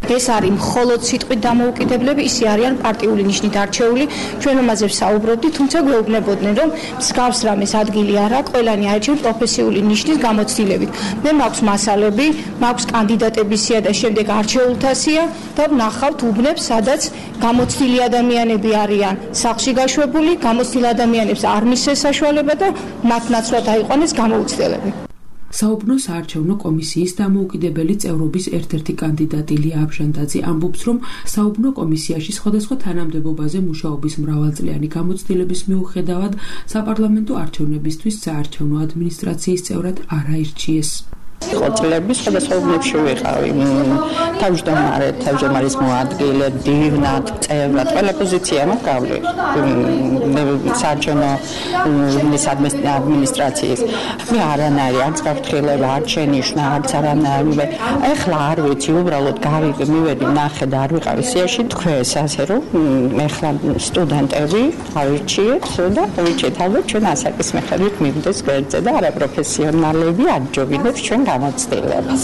ეს არის მხოლოდ სიტყვით დამოუკიდებლები, ისე არიან პარტიული ნიშნით არჩეული. ჩვენ ამაზე ვსაუბრობდით, თუმცა გვეუბნებოდნენ, რომ მსგავს რამეს ადგილი არ აქვს, ყველანი არჩეულ პროფესიული ნიშნის გამოცდილებით. მე მაქვს მასალები, მაქვს კანდიდატების სია და შემდეგ არჩეულთა სია და ვნახავთ უბნებს, სადაც გამოცდილი ადამიანები არიან სახლში გაშვებული, გამოცდილ ადამიანებს არ მისცეს საშუალება და მათ ნაცვლად აიყვანეს გამოუცდელები. საუბნო საარჩევნო კომისიის დამოუკიდებელი წევრობის ერთ-ერთი კანდიდატი ლია აბჟანდაძე ამბობს, რომ საუბნო კომისიაში სხვადასხვა თანამდებობაზე მუშაობის მრავალწლიანი გამოცდილების მიუხედავად საპარლამენტო არჩევნებისთვის საარჩევნო ადმინისტრაციის წევრად არ აირჩიეს. ყოწლების სხვადასხვა უბნებში ვიყავი. თავმჯდომარის მოადგილე, დივნად, წევრად, ყველა პოზიცია მოგავლი. საარჩევნო ადმინისტრაციის. მე არანაირი არც გაფრთხილება, არც შენიშვნა, არც არანაირი. ეხლა არ ვიცი, უბრალოდ გავიგე, მივედი ნახე და არ ვიყავი სიაში, თქვენს ასე რომ ეხლა სტუდენტები ავირჩიეთ და ავირჩიეთ ალბათ ჩვენ ასაკის მიხედვით მივიდეს გვერდზე და არაპროფესიონალები აჯობინებს ჩვენ გამოცდილებას.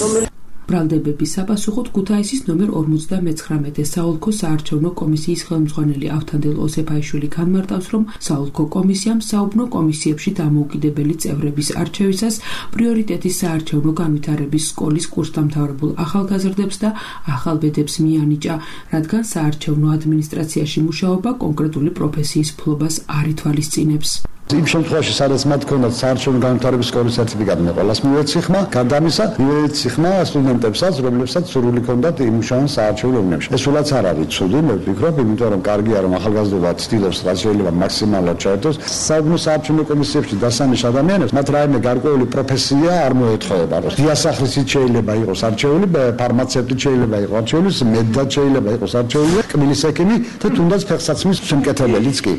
ბრალდებების საპასუხოდ ქუთაისის ნომერ 59 საოლქო საარჩევნო კომისიის ხელმძღვანელი ავთანდილ ოსეფაიშვილი განმარტავს, რომ საოლქო კომისიამ საუბნო კომისიებში დამოუკიდებელი წევრების არჩევისას პრიორიტეტის საარჩევნო განვითარების სკოლის კურსდამთავრებულ ახალგაზრდებს და ახალბედებს მიანიჭა, რადგან საარჩევნო ადმინისტრაციაში მუშაობა კონკრეტული პროფესიის ფლობას არ ითვალისწინებს. იმ შემთხვევაში, სადაც მათ ჰქონდათ საარჩევნო განვითარების სკოლის სერტიფიკატი, ყველას მივეც სიხმა, გადამისა, მივეც სიხმა სტუდენტებსაც, რომლებსაც სურვილი ჰქონდათ იმუშაონ საარჩევნო უბნებში. ეს სულაც არ არის ცუდი, მე ვფიქრობ, იმიტომ რომ კარგია რომ ახალგაზრდობა ცდილობს რაც შეიძლება მაქსიმალურად ჩაერთოს. საუბნო საარჩევნო კომისიებში დასანიშ ადამიანებს მათ რაიმე გარკვეული პროფესია არ მოეთხოვება. დიასახლისით შეიძლება იყოს არჩეული, ფარმაცევტით შეიძლება იყოს არჩეული, მედდად შეიძლება იყოს არჩეული, კბილის ექიმი და თუნდაც ფეხსაცმლის შემკეთებელიც კი.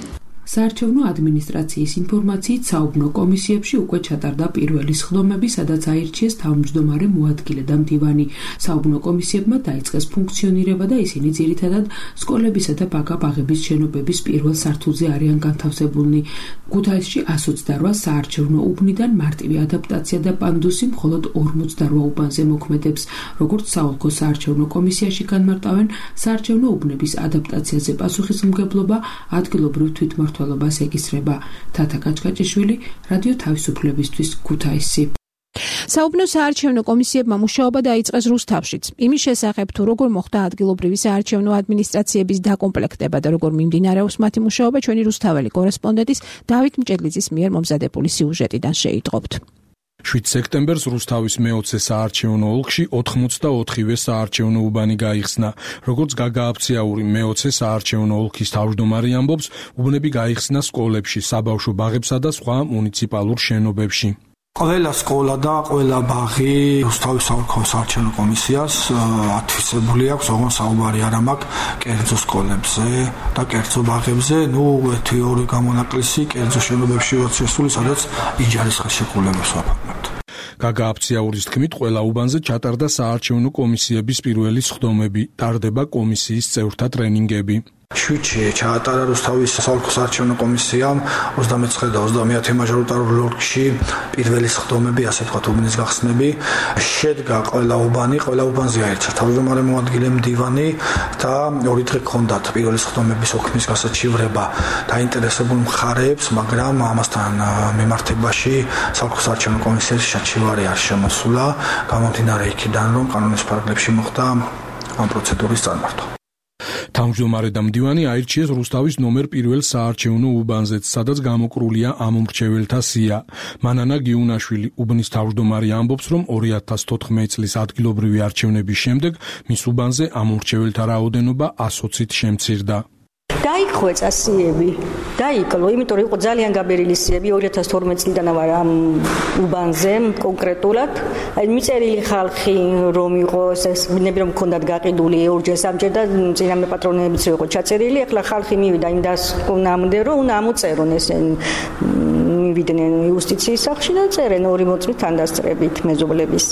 საარჩევნო ადმინისტრაციის ინფორმაციით საუბნო კომისიებში უკვე ჩატარდა პირველი სხდომები, სადაც აირჩიეს თავმჯდომარე მოადგილე და მდივანი. საუბნო კომისიებმა დაიწყეს ფუნქციონირება და ისინი ძირითადად სკოლებისა და ბაგა-ბაღების შენობების პირველ სართულზე არიან განთავსებულნი. ქუთაისში 128 საარჩევნო უბნიდან მარტივი ადაპტაცია და პანდუსი მხოლოდ 48 უბანზე მოქმედებს. როგორც საოლქო საარჩევნო კომისიაში განმარტავენ, საარჩევნო უბნების ადაპტაციაზე პასუხისმგებლობა ადგილობრივ თვითმმართველ ეკისრება. თათა კაჭკაჭიშვილი, რადიო თავისუფლებისთვის, ქუთაისი. საუბნო საარჩევნო კომისიებმა მუშაობა დაიწყეს რუსთავშიც. იმის შესახებ, თუ როგორ მოხდა ადგილობრივი საარჩევნო ადმინისტრაციების დაკომპლექტება და როგორ მიმდინარეობს მათი მუშაობა, ჩვენი რუსთაველი კორესპონდენტის დავით მჭედლიძის მიერ მომზადებული სიუჟეტიდან შეიტყობთ. 7 სექტემბერს რუსთავის მე-20 საარჩევნო ოლქში 84-ვე საარჩევნო უბანი გაიხსნა. როგორც გაგააფციაური მე-20 საარჩევნო ოლქის თავმჯდომარე ამბობს, უბნები გაიხსნა სკოლებში, საბავშვო ბაღებსა და სხვა მუნიციპალურ შენობებში. ყველა სკოლა და ყველა ბაღი რუსთავის საოლქო საარჩევნო კომისიას ათვისებული აქვს, ოღონდ საუბარი არ მაქვს კერძო სკოლებზე და კერძო ბაღებზე, თეორიული გამონაკლისი კერძო შენობებში შესული, სადაც იჯარის ხელშეკრულებას ვაფორმებთ. გაგააფციაურის თქმით, ყველა უბანზე ჩატარდა საარჩევნო კომისიების პირველი სხდომები, ტარდება კომისიის წევრთა ტრენინგები. 7-ში ჩაატარა რუსთავის საოლქო საარჩევნო კომისიამ 29 და 30 მაჟორიტარულ ოლქში პირველი სხდომები, ასე ვთქვათ, უბნის გახსნები. შედგა ყველა უბანზე აირჩა თავმჯდომარე მოადგილე, მდივანი და 2 დღე ჰქონდათ პირველი სხდომების ოქმის გასაჩივრება დაინტერესებულ მხარეებს, მაგრამ ამასთან მიმართებაში საოლქო საარჩევნო კომისიის საჩივარი არ შემოსულა, გამომდინარე იქიდან, რომ კანონის პარაგრაფებში მოხდა ამ პროცედურის წარმართვა. თავმჯდომარე და მდივანი აირჩიეს რუსთავის ნომერ 1 საარჩევნო უბანზეც, სადაც გამოკრულია ამომრჩეველთა სია. მანანა გიუნაშვილი, უბნის თავმჯდომარე, ამბობს, რომ 2014 წლის ადგილობრივი არჩევნების შემდეგ მის უბანზე ამომრჩეველთა რაოდენობა 120-ით შემცირდა. დაიხვეწა სიები, დაიკლო, იმიტომ რომ იყო ძალიან გაბერილი სიები, 2012 წლიდან ვარ ამ უბანზე კონკრეტულად. მიწერილი ხალხი რომ იყოს, ბნები რომ მქონდათ გაყიდული ორჯერ სამჯერ და წინამე პატრონებიც იყო ჩაწერილი, ახლა ხალხი მივიდა იმ დასკვნამდე, რომ უნდა ამოწერონ ესენი მივიდნენ იუსტიციის სახლში და წერენ 2 მოწმით თანდასწრებით მეზობლების.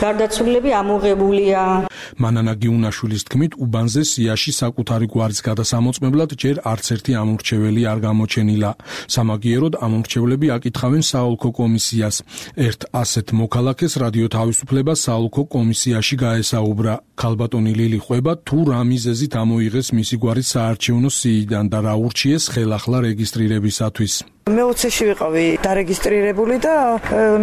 გარდაცვლილები ამოღებულია. მანანა გიუნაშვილის თქმით, უბანზე სიაში საკუთარი გვარის გადასამოწმებლად ჯერ არც ერთი ამორჩეველი არ გამოჩენილა. სამაგიეროდ ამორჩევლები აკითხავენ საოლქო კომისიას. ერთ ასეთ მოქალაქეს რადიო თავისუფლება საოლქო კომისიაში გაესაუბრა. ქალბატონი ლილი ყვება, თუ რა მიზეზით ამოიღეს მისი გვარი საარჩევნო სიიდან და რა ურჩიეს ხელახლა რეგისტრირებისათვის. მე 20-ში ვიყავი დარეგისტრირებული და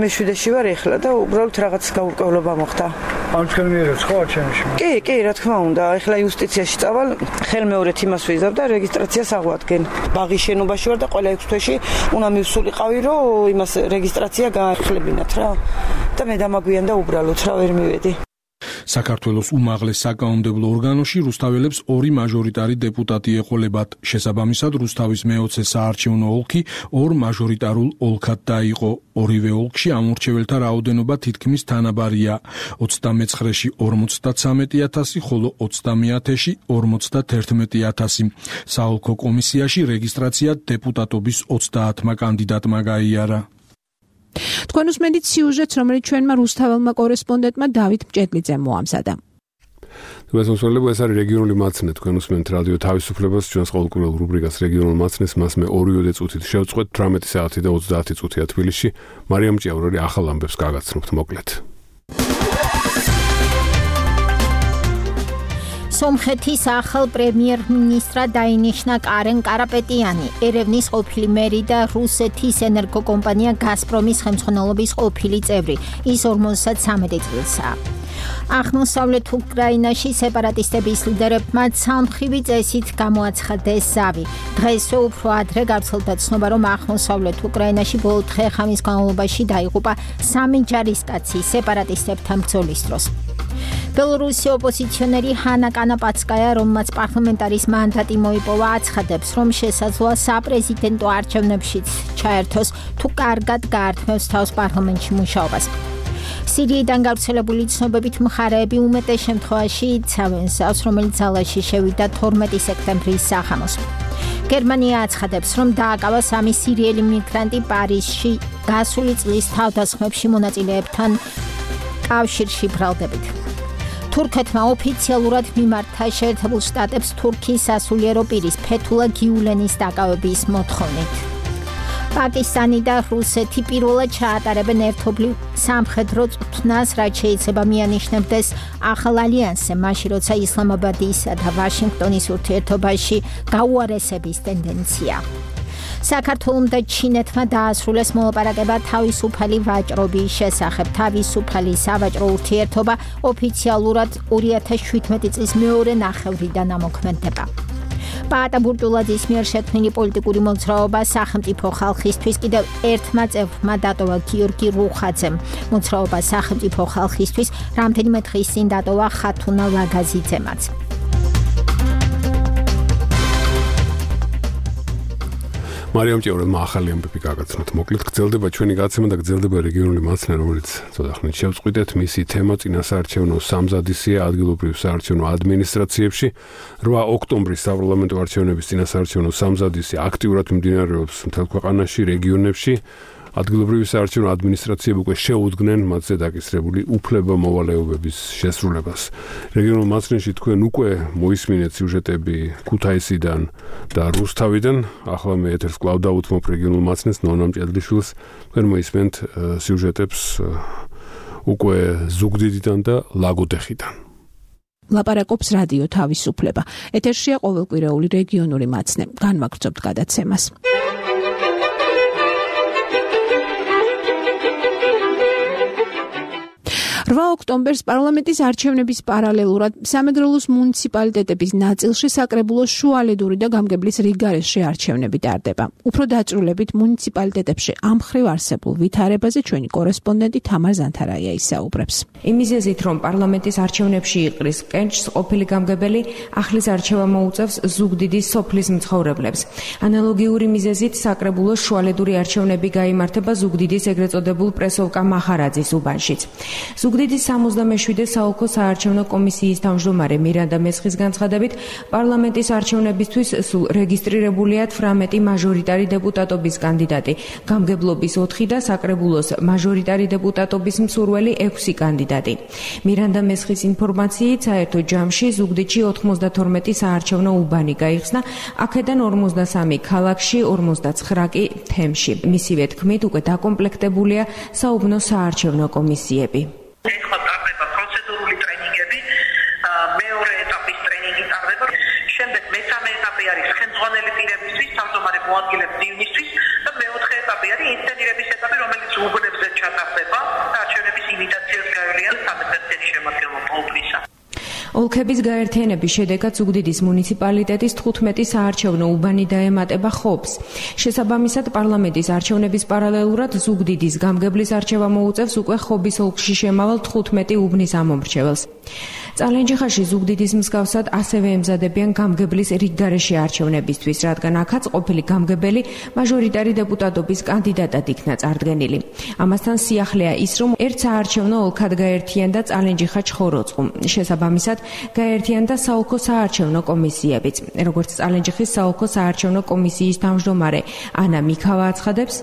მე 7-ში ვარ ეხლა და უბრალოდ რაღაც გაურკვევლობა მოხდა. ამ თქვენ მიერებს ხო არჩევნებში? კი, რა თქმა უნდა, ეხლა იუსტიციაში წავალ, ხელმეორედ იმას ვიზავ და რეგისტრაციას აღვადგენ. ბაღის შენობაში ვარ და ყველა 6 თვეში უნდა მივსულიყავი, რომ იმას რეგისტრაცია გაახლებინათ რა. და მე დამაგვიან და უბრალოდ რა ვერ მივედი. საქართველოს უმაღლეს საკანონმდებლო ორგანოში რუსთაველებს 2 მაჟორიტარი დეპუტატი ეყოლებათ. შესაბამისად, რუსთავის მე-20 საარჩევნო ოლქი 2 მაჟორიტარულ ოლქად დაიყო. ორივე ოლქში ამორჩეველთა რაოდენობა თითქმის თანაბარია. 29-ში 53.000, ხოლო 30-ში 51.000. საოლქო კომისიაში რეგისტრაცია დეპუტატობის 30 კანდიდატმა გაიარა. თქვენ უსმენთ სიუჟეტს, რომელიც ჩვენმა რუსთაველმა კორესპონდენტმა დავით მჭედლიძემ მოამზადა. ეს არის რეგიონული მაცნე, თქვენ უსმენთ რადიო თავისუფლებას, ჩვენს ყოველკვირეულ რუბრიკას რეგიონულ მაცნეს, მას მე 2 წუთით შევწყვეთ, 18 საათი და 30 წუთია თბილისში. მარიამ ჭიაურელი ახალ ამბებს გაგაცნობთ, მოკლედ. სომხეთის ახალ პრემიერ-მინისტრად დაინიშნა კარენ კარაპეტიანი, ერევნის ყოფილი მერი და რუსეთის ენერგოკომპანია გაზპრომის ხელმძღვანელობის ყოფილი წევრი. ის 53 წელსაა. აღმოსავლეთ უკრაინაში სეპარატისტების ლიდერებმა ცალმხრივი წესით გამოაცხადეს ზავი. დღესვე უფრო ადრე გავრცელდა ცნობა, რომ აღმოსავლეთ უკრაინაში ბოლო დღე-ღამის განმავლობაში დაიღუპა 3 ჯარისკაცი სეპარატისტებთან ბრძოლის დროს. ბელორუსი ოპოზიციონერი ჰანა კანაპაცკაია, რომელმაც პარლამენტარის მანდატი მოიპოვა, აცხადებს, რომ შესაძლოა საპრეზიდენტო არჩევნებშიც ჩაერთოს, თუ კარგად გაართმევს თავს პარლამენტში მუშაობას. სირიიდან გავრცელებული ცნობებით მხარეები უმეტეს შემთხვევაში იცავენ ზავს, რომელიც ძალაში შევიდა 12 სექტემბრის სახამოს. გერმანია აცხადებს, რომ დააკავა 3 სირიელი მიგრანტი პარიზში გასული წლის თავდასხმებში მონაწილეებთან კავშირში ბრალდებით. თურქეთმა ოფიციალურად მიმართა შეერთებულ შტატებს თურქიის სასულიერო პირის ფეთულა გიულენის დაკავების მოთხოვნით. პაკისტანი და რუსეთი პირველად ჩაატარებენ ერთობლივ სამხედრო წვრთნას, რაც შეიძლება მიანიშნებდეს ახალ ალიანსზე, მაშინ როცა ისლამაბადისა და ვაშინგტონის ურთიერთობაში გაუარესების ტენდენცია. საქართველომ და ჩინეთმა დაასრულეს მოლაპარაკება თავისუფალი ვაჭრობის შესახებ. თავისუფალი სავაჭრო ურთიერთობა ოფიციალურად 2017 წლის მეორე ნახევრიდან ამოქმედება. პაატა ბურტულაძის მიერ შექმნილი პოლიტიკური მოძრაობა სახელმწიფო ხალხისთვის კიდევ ერთმა წევრმა დატოვა გიორგი რუხაძემ. მოძრაობა სახელმწიფო ხალხისთვის რამდენიმე დღის წინ დატოვა ხათუნა ლაგაზიძემაც. მარიამ ჭიაურელმა ახალი ამბები გაგაცნოთ. მოკლედ გრძელდება ჩვენი გაცემა და გრძელდება რეგიონული მაცნე, რომელიც ცოტა ხნით შევწყვიტეთ. მისი თემა წინასაარჩევნო სამზადისია ადგილობრივ საარჩევნო ადმინისტრაციებში. 8 ოქტომბრის საპარლამენტო არჩევნების წინასაარჩევნო სამზადისი აქტიურად მიმდინარეობს მთელ ქვეყანაში, რეგიონებში. ადგილობრივი საარჩევნო ადმინისტრაციები უკვე შეუდგნენ მათზე დაკისრებული უფლება-მოვალეობების შესრულებას. რეგიონულ მაცნეში თქვენ უკვე მოისმინეთ სიუჟეტები ქუთაისიდან და რუსთავიდან. ახლა მე ეთერს კვლავ დავუთმობ რეგიონულ მაცნეს ნონა მჭედლიშვილს. თქვენ მოისმენთ სიუჟეტებს უკვე ზუგდიდიდან და ლაგოდეხიდან. ლაპარაკობს რადიო თავისუფლება. ეთერშია ყოველკვირეული რეგიონული მაცნე. განვაგრძობთ გადაცემას. 8 ოქტომბერს პარლამენტის არჩევნების პარალელურად სამეგრელოს მუნიციპალიტეტების ნაწილში საკრებულოს შუალედური და გამგებლის რიგგარეშე არჩევნები ტარდება. უფრო დაწვრილებით მუნიციპალიტეტებში ამ მხრივ არსებულ ვითარებაზე ჩვენი კორესპონდენტი თამარ ზანთარაია ისაუბრებს. იმ მიზეზით, რომ პარლამენტის არჩევნებში იყრის კენჭს ყოფილი გამგებელი, ახლის არჩევა მოუწევს ზუგდიდის სოფლის მცხოვრებლებს. ანალოგიური მიზეზით საკრებულოს შუალედური არჩევნები გაიმართება ზუგდიდის ეგრეთ წოდებულ პრესოვკა მახარაძის უბანშიც. ზუგდიდის 77 საოლქო საარჩევნო კომისიის თავმჯდომარე მირანდა მესხის განცხადებით, პარლამენტის არჩევნებისთვის სულ რეგისტრირებულია 18 მაჟორიტარი დეპუტატობის კანდიდატი, გამგებლობის 4 და საკრებულოს მაჟორიტარი დეპუტატობის მსურველი 6 კანდიდატი. მირანდა მესხის ინფორმაციით, საერთო ჯამში ზუგდიდში 92 საარჩევნო უბანი გაიხსნა, აქედან 53 ქალაქში, 49 კი თემში. მისივე თქმით, უკვე დაკომპლექტებულია საუბნო საარჩევნო კომისიები. ეხლა ტარდება პროცედურული ტრენინგები, მეორე ეტაპის ტრენინგი ტარდება. შემდეგ მესამე ეტაპი არის ხელმძღვანელი პირებისთვის, თავმჯდომარე მოადგილეების ივნისთვის და მეოთხე ეტაპი არის ინსცენირების ეტაპი, რომელიც უბნებზე ჩატარდება. არჩევნების იმიტაციას გაევლიან 13 შემადგენლობა უბნისა. ოლქების გაერთიანების შედეგად ზუგდიდის მუნიციპალიტეტის 15 საარჩევნო უბანი დაემატება ხობს. შესაბამისად, პარლამენტის არჩევნების პარალელურად ზუგდიდის გამგებლის არჩევა მოუწევს უკვე ხობის ოლქში შემავალ 15 უბნის ამომრჩეველს. წალენჯიხაში ზუგდიდის მსგავსად ასევე ემზადებიან გამგებლის რიგგარეშე არჩევნებისთვის, რადგან აქაც ყოფილი გამგებელი მაჟორიტარი დეპუტატობის კანდიდატად იქნა წარდგენილი. ამასთან სიახლეა ის, რომ ერთ საარჩევნო ოლქად გაერთიანდა წალენჯიხა ჩხოროწყუ. შესაბამისად, გაერთიანდა საოლქო საარჩევნო კომისიებიც. როგორც წალენჯიხის საოლქო საარჩევნო კომისიის თავმჯდომარე ანა მიქავა აცხადებს,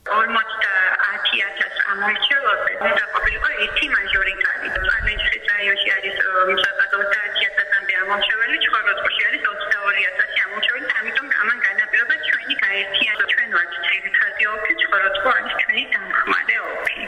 50,000 ამომრჩეველზე უნდა ყოფილიყო ერთი მაჟორიტარი. წალენჯიხის რაიონში არის 30,000 ამომრჩეველი, ჩხოროწყუში არის 22,000 ამომრჩეველი, ამიტომ ამან განაპირობა ჩვენი გაერთიანება. ჩვენ ვართ ძირითადი ოლქი, ჩხოროწყუ არის ჩვენი დამხმარე ოლქი.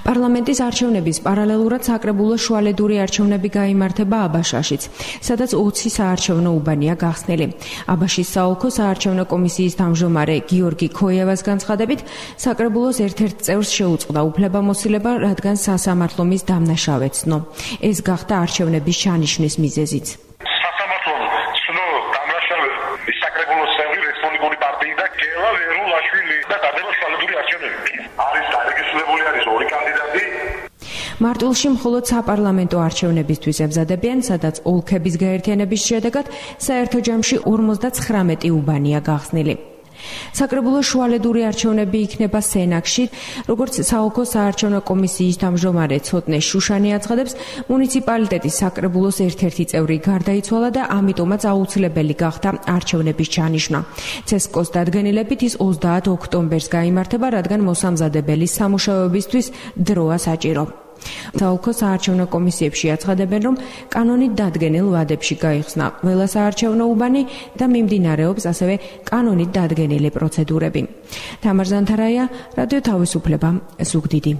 პარლამენტის არჩევნების პარალელურად საკრებულო შუალედური არჩევნები გაიმართება აბაშაშიც, სადაც 20 საარჩევნო უბანია გახსნილი. აბაშის საოლქო საარჩევნო კომისიის თავმჯდომარე გიორგი ქოიევას განცხადებით, საკრებულოს ერთ-ერთ წევრს შეუწყდა უფლებამოსილება, რადგან სასამართლომის დამნაშავე ცნო. ეს გახდა არჩევნების ჩანიშვნის მიზეზიც. სასამართლომ ცნო დამნაშავე საკრებულოს წევრი რესპუბლიკური პარტიიდან გელა ვერულაშვილი და დადება შუალედური არჩევნები. არის დარეგისტრირებული არის ორი კანდიდატი. მარტვილში მხოლოდ საპარლამენტო არჩევნებისთვის ემზადებიან, სადაც ოლქების გაერთიანების შედეგად საერთო ჯამში 59 უბანია გახსნილი. საკრებულო შუალედური არჩევნები იქნება სენაკში, როგორც საოლქო საარჩევნო კომისიის თავმჯდომარე ცოტნე შუშანი აცხადებს, მუნიციპალიტეტის საკრებულოს ერთ-ერთი წევრი გარდაიცვალა და ამიტომაც აუცილებელი გახდა არჩევნების ჩანიშვნა. ცესკოს დადგენილებით ის 30 ოქტომბერს გაიმართება, რადგან მოსამზადებელი სამუშაოებისთვის დროა საჭირო. საოლქო საარჩევნო კომისიებში აცხადებენ, რომ კანონით დადგენილ ვადებში გაიხსნა ყველა საარჩევნო უბანი და მიმდინარეობს ასევე კანონით დადგენილი პროცედურები. თამარ ზანთარაია, რადიო თავისუფლება, ზუგდიდი.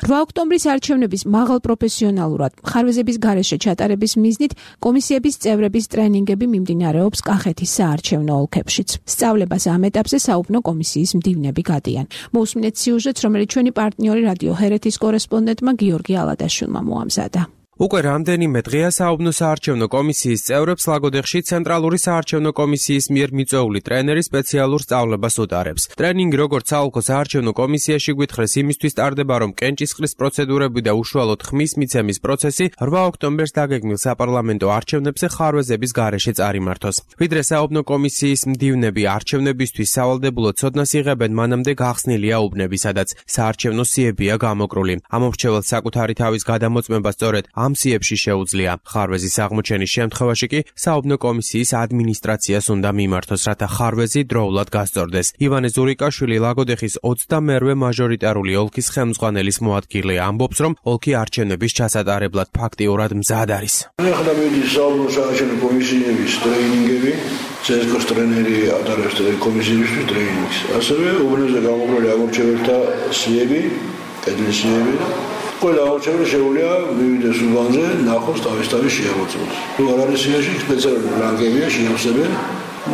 8 ოქტომბრის არჩევნების მაღალ პროფესიონალურად ხარვეზების გარეშე ჩატარების მიზნით კომისიების წევრების ტრენინგები მიმდინარეობს კახეთის საარჩევნო ოლქებშიც. სწავლებას ამ ეტაპზე საუბნო კომისიის მდივნები გადიან. მოусმინეთ სიუჟეტს, რომელიც ჩვენი პარტნიორი რადიო ჰერეთის კორესპონდენტმა გიორგი ალადაშვილმა მოამზადა. უკვე რამდენიმე დღეა საუბნო საარჩევნო კომისიის წევრებს ლაგოდეხში ცენტრალური საარჩევნო კომისიის მიერ მიწვეული ტრენერი სპეციალურ სწავლებას უტარებს. ტრენინგი როგორც საოლქო საარჩევნო კომისიაში გვითხრეს იმისთვის ტარდება, რომ კენჭისყრის პროცედურები და უშუალოდ ხმის მიცემის პროცესი 8 ოქტომბერს დაგეგმილ საპარლამენტო არჩევნებზე ხარვეზების გარეშე წარიმართოს. ვიდრე საუბნო კომისიის მდივნები არჩევნებისთვის სავალდებულო ცოდნას იღებენ, მანამდე გახსნილია უბნები, სადაც საარჩევნო სიებია გამოკრული. ამომრჩეველს საკუთარი თავის გადამოწმება სწორედ ამ სიებში შეუძლია. ხარვეზის აღმოჩენის შემთხვევაში კი საუბნო კომისიის ადმინისტრაციას უნდა მიმართოს, რათა ხარვეზი დროულად გასწორდეს. ივანე ზურიკაშვილი ლაგოდეხის 22-ვე მაჟორიტარული ოლქის ხელმძღვანელის მოადგილე ამბობს, რომ ოლქი არჩევნების ჩასატარებლად ფაქტიურად მზად არის. ახლა მიდის საუბნო საარჩევნო კომისიების ტრენინგები, ცესკოს ტრენერი ატარებს კომისიებისთვის ტრენინგს. ასევე უბნებზე გამოკრული აღმოჩენილთა სიები, კედლის სიები ყველა არჩევანი შეუძლია მივიდეს უბანზე, ნახოს თავის შეამოწმოს. თუ არ არის სიაში სპეციალური ბლანკებია შეავსებენ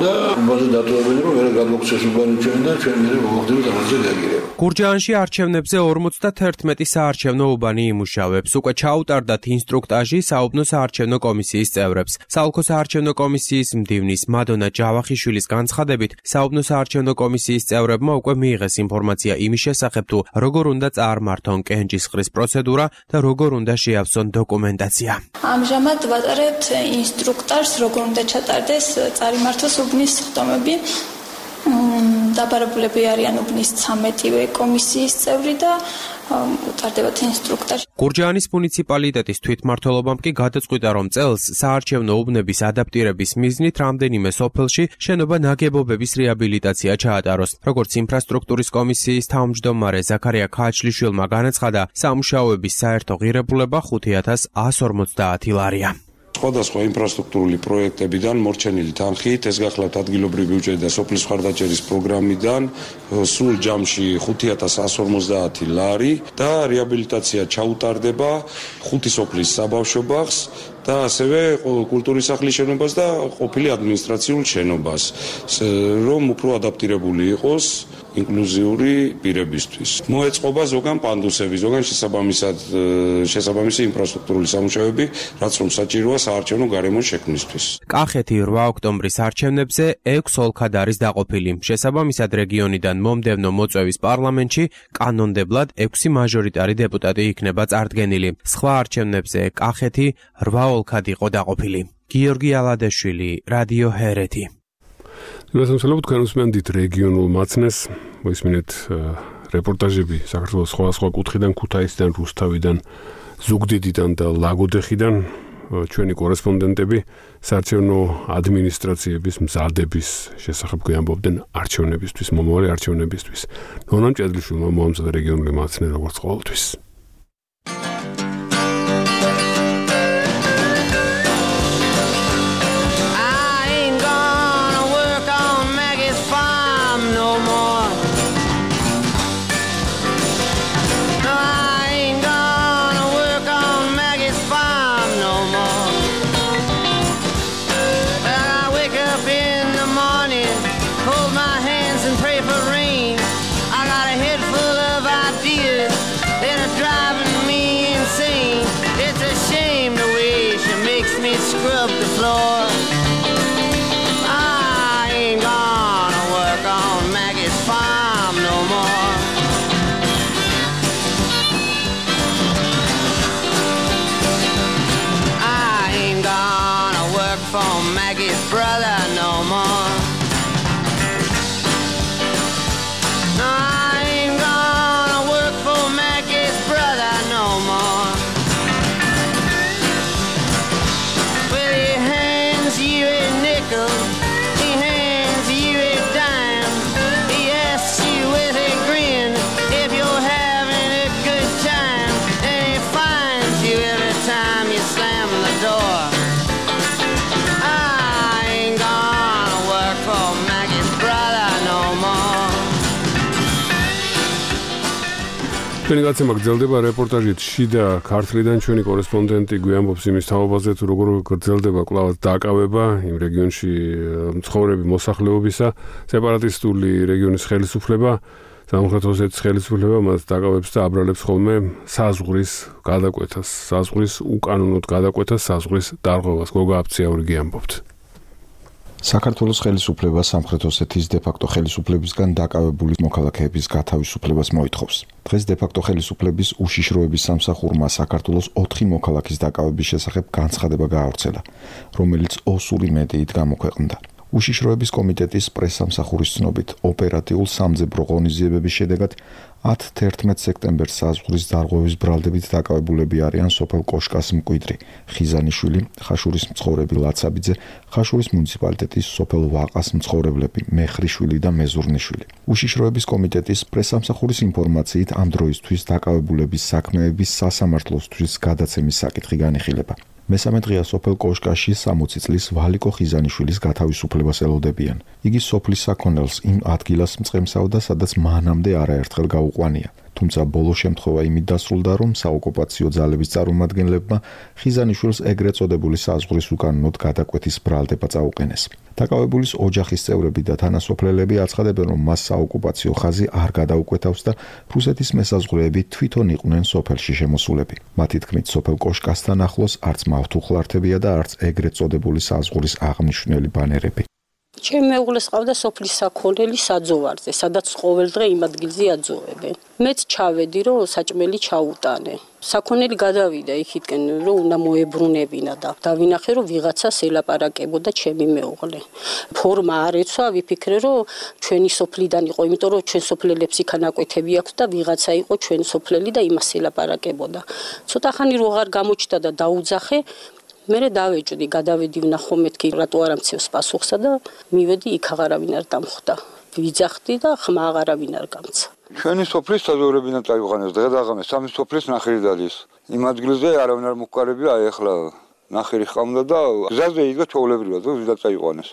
და უბანზე დატოვებენ, რომ ვერ გადმოგცეს უბანი ჩვენ და ჩვენ მე მოვხდებით ამაზე რეაგირება. გურჯაანში არჩევნებზე 51 საარჩევნო უბანი იმუშავებს. უკვე ჩაუტარდათ ინსტრუქტაჟი საუბნო საარჩევნო კომისიის წევრებს. საოლქო საარჩევნო კომისიის მდივნის მადონა ჯავახიშვილის განცხადებით, საუბნო საარჩევნო კომისიის წევრებმა უკვე მიიღეს ინფორმაცია იმის შესახებ, თუ როგორ უნდა წარმართონ კენჭისყრის პროცედურა და როგორ უნდა შეავსონ დოკუმენტაცია. ამჟამად ვატარებთ ინსტრუქტაჟს, როგორ უნდა ჩატარდეს წარიმართოს უბნის ხდომები. დაბარებულები არიან უბნის 13-ვე კომისიის წევრი და უტარდებათ ინსტრუქტაჟი. გურჯაანის მუნიციპალიტეტის თვითმმართველობამ კი გადაწყვიტა, რომ წელს საარჩევნო უბნების ადაპტირების მიზნით რამდენიმე სოფელში შენობა ნაგებობების რეაბილიტაცია ჩაატაროს. როგორც ინფრასტრუქტურის კომისიის თავმჯდომარე ზაქარია ქაჩლიშვილმა განაცხადა, სამუშაოების საერთო ღირებულება 5150 ლარია. სხვადასხვა ინფრასტრუქტურული პროექტებიდან მორჩენილი თანხით, ეს გახლავთ ადგილობრივი ბიუჯეტი და სოფლის მხარდაჭერის პროგრამიდან სულ ჯამში 5150 ლარი და რეაბილიტაცია ჩაუტარდება 5 სოფლის საბავშვო ბაღს და ასევე კულტურის სახლის შენობას და ყოფილი ადმინისტრაციულ შენობას, რომ უფრო ადაპტირებული იყოს ინკლუზიური პირებისთვის. მოეწყობა ზოგან პანდუსები, ზოგან შესაბამისი ინფრასტრუქტურული სამუშაოები, რაც რომ საჭიროა საარჩევნო გარემოს შექმნისთვის. კახეთი 8 ოქტომბრის არჩევნებზე 6 ოლქად არის დაყოფილი. შესაბამისად რეგიონიდან მომდევნო მოწვევის პარლამენტში კანონდებლად 6 მაჟორიტარი დეპუტატი იქნება წარდგენილი. სხვა არჩევნებზე კახეთი 8 ოლქად იყო დაყოფილი. გიორგი ალადეშვილი, რადიო ჰერეთი. გასამსვლელობ თქვენ უსმენთ რეგიონულ მაცნეს, მოისმინეთ რეპორტაჟები საქართველოს სხვა კუთხიდან, ქუთაისიდან, რუსთავიდან, ზუგდიდიდან და ლაგოდეხიდან. ჩვენი კორესპონდენტები საარჩევნო ადმინისტრაციების მზადების შესახებ გვიამბობდნენ არჩევნებისთვის, მომავალი არჩევნებისთვის. ნონა მჭედლიშვილმა მოამზადა რეგიონული მაცნე როგორც ყოველთვის. ჩვენი გაცემა გრძელდება რეპორტაჟით შიდა ქართლიდან ჩვენი კორესპონდენტი გვიამბობს იმის თაობაზე თუ როგორ გრძელდება კვლავ დაკავება იმ რეგიონში მცხოვრები მოსახლეობისა სეპარატისტული რეგიონის ხელისუფლება სამხრეთ ოსეთის ხელისუფლება მას დაკავებს და აბრალებს ხოლმე საზღვრის გადაკვეთას საზღვრის უკანონოდ გადაკვეთას საზღვრის დარღვევას გოგა აფციაური გიამბობთ საქართველოს ხელისუფლება სამხრეთ ოსეთის დე-ფაქტო ხელისუფლებისგან დაკავებული მოქალაქეების გათავისუფლებას მოითხოვს. დღეს დე-ფაქტო ხელისუფლების უშიშროების სამსახურმა საქართველოს 4 მოქალაქის დაკავების შესახებ განცხადება გაავრცელა, რომელიც ოსური მედიით გამოქვეყნდა. უშიშროების კომიტეტის პრესსამსახურის ცნობით, ოპერატიულ სამძებრო ღონისძიებების შედეგად 10-11 სექტემბერს საზღვრის დარღვევის ბრალდებით დაკავებულები არიან სოფელ კოშკას მკვიდრი, ხიზანიშვილი, ხაშურის მცხოვრები ლაცაბიძე, ხაშურის მუნიციპალიტეტის სოფელ ვაყას მცხოვრებლები, მეხრიშვილი და მეზურნიშვილი. უშიშროების კომიტეტის პრესსამსახურის ინფორმაციით ამ დროისთვის დაკავებულების საქმეების სასამართლოსთვის გადაცემის საკითხი განიხილება. მესამე დღეა სოფელ კოშკაში 60 წლის ვალიკო ხიზანიშვილის გათავისუფლებას ელოდებიან. იგი სოფლის საქონელს იმ ადგილას მწყემსავდა, სადაც მანამდე არაერთხელ გაუყვანია. თუმცა ბოლო შემთხვევა იმით დასრულდა, რომ საოკუპაციო ძალების წარმომადგენლებმა ხიზანიშვილს ეგრეთ წოდებული საზღვრის უკანონოდ გადაკვეთის ბრალდება წაუყენეს. დაკავებულის ოჯახის წევრები და თანასოფლელები აცხადებენ, რომ მას საოკუპაციო ხაზი არ გადაუკვეთავს და რუსეთის მესაზღვრეები თვითონ იყვნენ სოფელში შემოსულები. მათი თქმით, სოფელ კოშკასთან ახლოს არც მავთუხლართებია და არც ეგრეთ წოდებული საზღვრის აღმნიშვნელი ბანერები. ჩემ მეუღლეს ყავდა სოფლის საქონელი საძოვარზე, სადაც ყოველდღე იმ ადგილზე აძოვებენ. მეც ჩავედი, რომ საჭმელი ჩაუტანე. საქონელი გადავიდა იქითკენ, რომ უნდა მოებრუნებინა და დავინახე, რომ ვიღაცას ელაპარაკებოდა ჩემი მეუღლე. ფორმა არ ეცვა, ვიფიქრე, რომ ჩვენი სოფლიდან იყო, იმიტომ რომ ჩვენ სოფლელებს იქ ანაკვეთები აქვს და ვიღაცა იყო ჩვენ სოფლელი და იმას ელაპარაკებოდა. ცოტა ხანი რო აღარ გამოჩნდა და დაუძახე მე დავეჭდი, გადავედი ვნახო მეთქი რატო არ ამცევს პასუხსა და მივედი იქ აღარავინ არ დამხვდა. ვიძახდი და ხმა აღარავინ არ გამცა. ჩვენი სოფლის საზოგადოებიდან წაიყვანეს დღე და ღამე სამი სოფლის ნახირი დადის. იმ ადგილზე არავინ არ მოგვყარებია, აი ახლა ნახირი ხამდა და გზაზე იდგა ჩვეულებრივად, რომ ვიდა წაიყვანეს.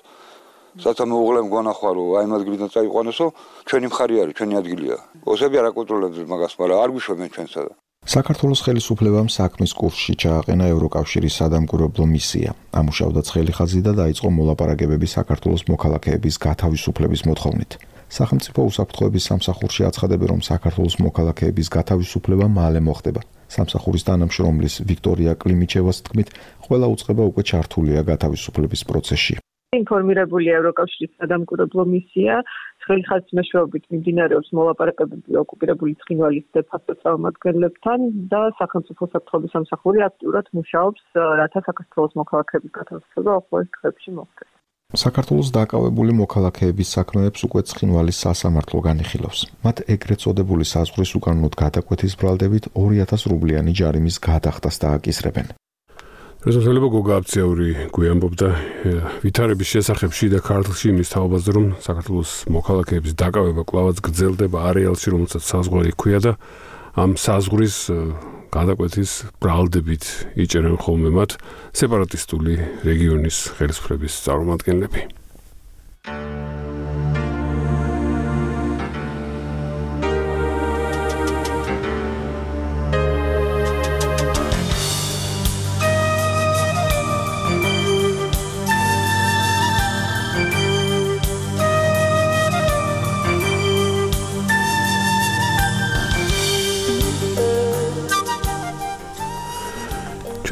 სათა მეუღლემ გვანახვა, რომ აი იმ ადგილიდან წაიყვანესო, ჩვენი მხარი არის, ჩვენი ადგილია. ოსები არ აკონტროლებდნენ მაგას, მაგრამ არ გვიშვებენ ჩვენსა და საქართველოს ხელისუფლებამ საქმის კურსში ჩააყენა ევროკავშირის სადამკვირვებლო მისია. ამუშავდა ცხელი ხაზი და დაიწყო მოლაპარაკებები საქართველოს მოქალაქეების გათავისუფლების მოთხოვნით. სახელმწიფო უსაფრთხოების სამსახურში აცხადებენ, რომ საქართველოს მოქალაქეების გათავისუფლება მალე მოხდება. სამსახურის თანამშრომლის ვიქტორია კლიმიჩევას თქმით, ყველა უწყება უკვე ჩართულია გათავისუფლების პროცესში. ინფორმირებულია ევროკავშირის სადამკვირვებლო მისია, ცხელი ხაზის მეშვეობით მიმდინარეობს მოლაპარაკებები ოკუპირებული ცხინვალის დე-ფაქტო წარმომადგენლებთან და სახელმწიფო უსაფრთხოების სამსახური აქტიურად მუშაობს, რათა საქართველოს მოქალაქეების გათავისუფლება უახლოეს დღეებში მოხდეს. საქართველოს დაკავებული მოქალაქეების საქმეებს უკვე ცხინვალის სასამართლო განიხილავს. მათ ეგრეთ წოდებული საზღვრის უკანონოდ გადაკვეთის ბრალდებით 2000 რუბლიანი ჯარიმის გადახდას დააკისრებენ. რეზოლუცია გოგა აფციური გვიამბობდა ვითარების შესახებ შიდა ქართლში იმის თაობაზე, რომ საქართველოს მოქალაქეების დაკავება კვლავაც გრძელდება არეალში, რომელსაც საზღვარი ჰქვია და ამ საზღვრის გადაკვეთის ბრალდებით იჭერენ ხოლმე მათ სეპარატისტული რეგიონის ხელისუფლების წარმომადგენლები.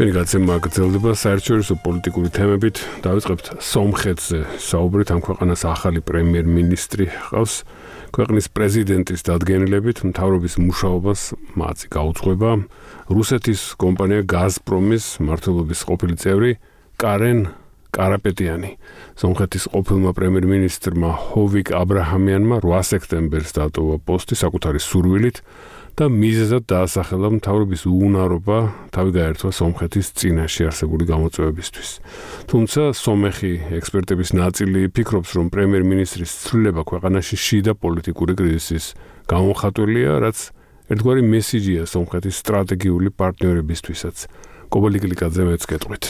ჩვენი გაცემა გრძელდება საერთაშორისო პოლიტიკური თემებით. დავიწყებთ სომხეთზე საუბრით. ამ ქვეყანას ახალი პრემიერ-მინისტრი ჰყავს. ქვეყნის პრეზიდენტის დადგენილებით მთავრობის მუშაობას მათი გაუძღვება რუსეთის კომპანია გაზპრომის მმართველობის ყოფილი წევრი კარენ კარაპეტიანი. სომხეთის ყოფილმა პრემიერ-მინისტრმა ჰოვიკ აბრაჰამიანმა 8 სექტემბერს დატოვა პოსტი საკუთარი სურვილით და მიზეზად დაასახელა მთავრობის უუნარობა თავი გაერთვა სომხეთის წინაშე არსებული გამოწვევებისთვის. თუმცა სომეხი ექსპერტების ნაწილი ფიქრობს, რომ პრემიერ-მინისტრის ცვლილება ქვეყანაში შიდა პოლიტიკური კრიზისის გამოხატულია, რაც ერთგვარი მესიჯია სომხეთის სტრატეგიული პარტნიორებისთვისაც. კობალი გლიკაძე მეც გეტყვით.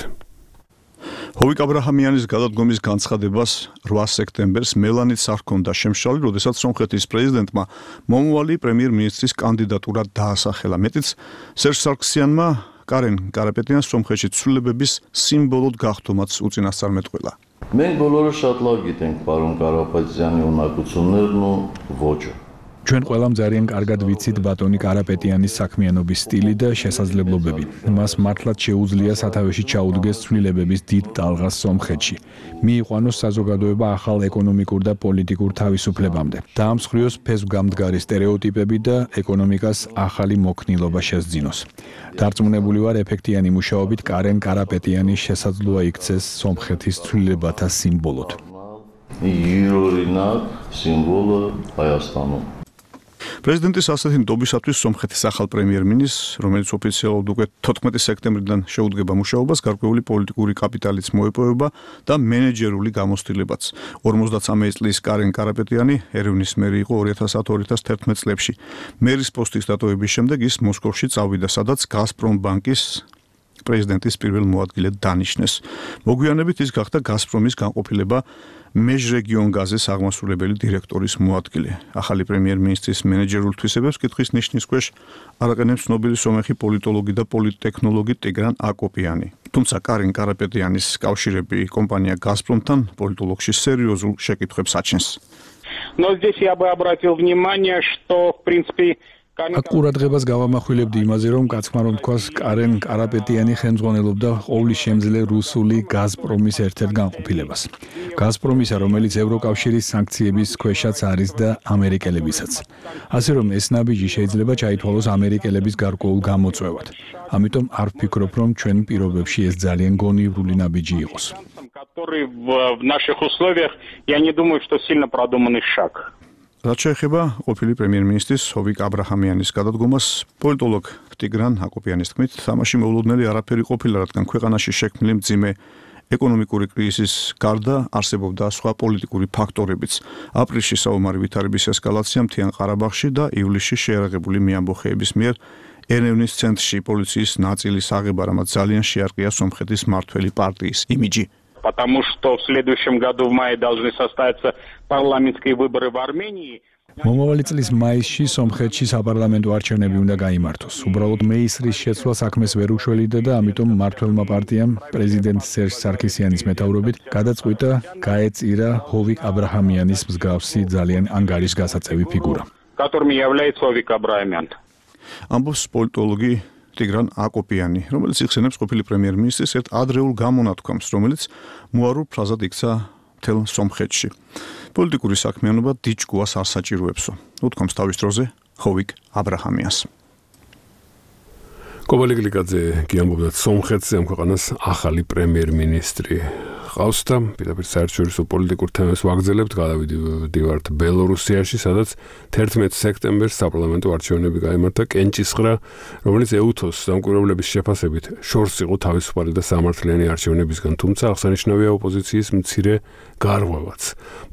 ჰოვიკ აბრაჰამიანის გადადგომის განცხადებას 8 სექტემბერს მელანიც არ ჰქონდა შემშალი, როდესაც სომხეთის პრეზიდენტმა მომავალი პრემიერ-მინისტრის კანდიდატურა დაასახელა. მეტიც სერჟ სარქსიანმა კარენ კარაპეტიანს სომხეთში ცვლილებების სიმბოლოდ გახდომაც უწინასწარმეტყველა. Մենք բոլորը շատ լավ գիտենք պարոն Կարապետյանի ունակություններն ու ոճը. ჩვენ ყველამ ძალიან კარგად ვიცით ბატონი კარაპეტიანის საქმიანობის სტილი და შესაძლებლობები. მას მართლაც შეუძლია სათავეში ჩაუდგეს ცვლილებების დიდ ტალღას სომხეთში. მიიყვანოს საზოგადოება ახალ ეკონომიკურ და პოლიტიკურ თავისუფლებამდე. დაამსხვრიოს ფესვგამდგარი სტერეოტიპები და ეკონომიკას ახალი მოქნილობა შესძინოს. დარწმუნებული ვარ, ეფექტიანი მუშაობით კარენ კარაპეტიანის შესაძლოა იქცეს სომხეთის ცვლილებათა სიმბოლოდ. ირორინակ სიმბოლო Հայաստանում. პრეზიდენტის ასეთი ნდობისათვის სომხეთის ახალ პრემიერ-მინისტრს, რომელიც ოფიციალურად უკვე 14 სექტემბრიდან შეუდგება მუშაობას, გარკვეული პოლიტიკური კაპიტალიც მოეპოვება და მენეჯერული გამოცდილებაც. 53 წლის კარენ კარაპეტიანი ერევნის მერი იყო 2010-2011 წლებში. მერის პოსტის დატოვების შემდეგ ის მოსკოვში წავიდა, სადაც გაზპრომ ბანკის პრეზიდენტის პირველ მოადგილედ დანიშნეს. მოგვიანებით ის გახდა გაზპრომის განყოფილება მეჟრეგიონ გაზის აღმასრულებელი დირექტორის მოადგილე. ახალი პრემიერ-მინისტრის მენეჯერულ თვისებებს კითხვის ნიშნის ქვეშ არაყენებს ცნობილი სომეხი პოლიტოლოგი და პოლიტტექნოლოგი ტიგრან აკოპიანი. თუმცა კარენ კარაპეტიანის კავშირები კომპანია გაზპრომთან პოლიტოლოგში სერიოზულ შეკითხვებს აჩენს. Но здесь я бы обратил внимание, что в принципе აქ ყურადღებას გავამახვილებდი იმაზე, რომ კაცმა რომ თქვას კარენ კარაპეტიანი ხელმძღვანელობდა ყოვლისშემძლე რუსული გაზპრომის ერთ-ერთ განყოფილებას. გაზპრომისა, რომელიც ევროკავშირის სანქციების ქვეშაც არის და ამერიკელებისაც. ასე რომ ეს ნაბიჯი შეიძლება ჩაითვალოს ამერიკელების გარკვეულ გამოწვევად. ამიტომ არ ვფიქრობ, რომ ჩვენ პირობებში ეს ძალიან გონივრული ნაბიჯი იყოს. который в наших условиях, я не думаю, что сильно продуманный шаг. რაც შეეხება ყოფილი პრემიერ-მინისტრის ჰოვიკ აბრაჰამიანის გადადგომას, პოლიტოლოგ ტიგრან აკოპიანის თქმით, თამაში მოულოდნელი არაფერი ყოფილა, რადგან ქვეყანაში შექმნილი მძიმე ეკონომიკური კრიზისის გარდა არსებობდა სხვა პოლიტიკური ფაქტორებიც. აპრილში საომარი ვითარების ესკალაცია მთიან ყარაბაღში და ივლისში შეერაღებული მეამბოხეების მიერ ერევნის ცენტრში პოლიციის ნაწილის აღება, რამაც ძალიან შეარყია სომხეთის მმართველი პარტიის იმიჯი. Потому что в следующем году в мае должны состояться парламентские выборы в Армении. მომავალი წლის მაისში სომხეთში საპარლამენტო არჩევნები უნდა გაიმართოს. უბრალოდ მეისრის შეცვლა საქმეს ვერ უშველიდა და ამიტომ მმართველმა პარტიამ პრეზიდენტ სერჟ სარქისიანის მეთაურობით გადაწყვიტა გაეწირა ჰოვიკ აბრაჰამიანის მსგავსი ძალიან ანგარიშგასაწევი ფიგურა. Которым является Ховик Абрахамян. ამბობს პოლიტოლოგი ტიგრან აკოპიანი, რომელიც იხსენებს ყოფილი პრემიერ-მინისტრის ერთ ადრეულ გამონათქვამს, რომელიც მოარულ ფრაზად იქცა მთელ სომხეთში. პოლიტიკური საქმიანობა დიჯგუას არ საჭიროებსო. უთქვამს თავის დროზე ჰოვიკ აბრაჰამიანს. კობალი გლიკაძე გიამბობდა სომხეთზე ამ ქვეყანას ახალი პრემიერ-მინისტრი ყავს და პირდაპირ საერთაშორისო პოლიტიკურ თემებს ვაგრძელებთ. გადავიდივართ ბელორუსიაში, სადაც 11 სექტემბერს საპარლამენტო არჩევნები გაიმართა კენჭისყრა, რომელიც ეუთოს დამკვირვებლების შეფასებით შორს იყო თავისუფალი და სამართლიანი არჩევნებისგან, თუმცა აღსანიშნავია ოპოზიციის მცირე გარღვევაც.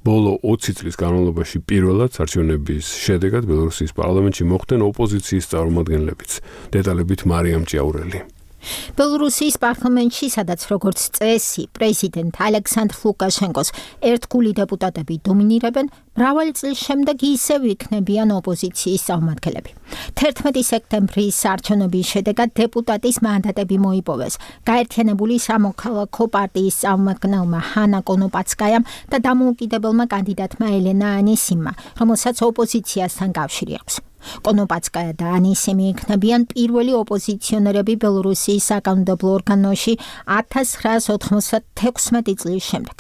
ბოლო 20 წლის განმავლობაში პირველად არჩევნების შედეგად ბელორუსიის პარლამენტში მოხვდნენ ოპოზიციის წარმომადგენლებიც. დეტალებით მარიამ ჭიაურელი. ბელორუსიის პარლამენტში, სადაც როგორც წესი, პრეზიდენტ ალექსანდრ ლუკაშენკოს ერთგული დეპუტატები დომინირებენ, მრავალი წლის შემდეგ ისევ იქნებიან ოპოზიციის წარმომადგენლები. 11 სექტემბრის არჩევნების შედეგად დეპუტატის მანდატები მოიპოვეს გაერთიანებული სამოქალაქო პარტიის წარმომადგენელმა ჰანა კონოპაცკაიამ და დამოუკიდებელმა კანდიდატმა ელენა ანისიმმა, რომელსაც ოპოზიციასთან კავშირი აქვს. კონოპაცკაია და ანისიმი იქნებიან პირველი ოპოზიციონერები ბელორუსიის საკანონმდებლო ორგანოში 1996 წლის შემდეგ.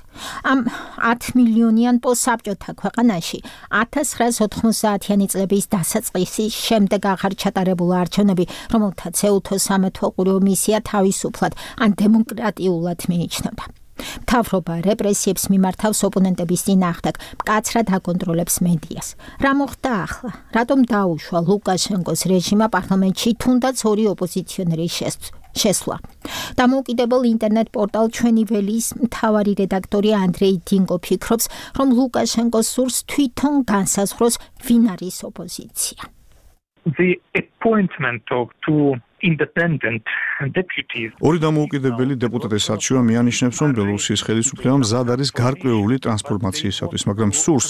ამ 10 მილიონიან პოსტსაბჭოთა ქვეყანაში 1990-იანი წლების დასაწყისის შემდეგ აღარ ჩატარებულა არჩევნები, რომელთაც ეუთოს სამეთვალყურეო მისია თავისუფლად ან დემოკრატიულად მიიჩნევდა. მთავრობა რეპრესიებს მიმართავს ოპონენტების წინააღმდეგ, მკაცრად აკონტროლებს მედიას. რა მოხდა ახლა? რატომ დაუშვა ლუკაშენკოს რეჟიმმა პარლამენტში თუნდაც ორი ოპოზიციონერის შესვლა? დამოუკიდებელ ინტერნეტ პორტალ ჩვენი ველის მთავარი რედაქტორი ანდრეი დინგო ფიქრობს, რომ ლუკაშენკოს სურს თვითონ განსაზღვროს ვინ არის ოპოზიცია. The appointment of two independent deputies. ორი დამოუკიდებელი დეპუტატის არჩევა მიანიშნებს, რომ ბელორუსიის ხელისუფლებამ მზად არის გარკვეული ტრანსფორმაციისათვის, მაგრამ სურს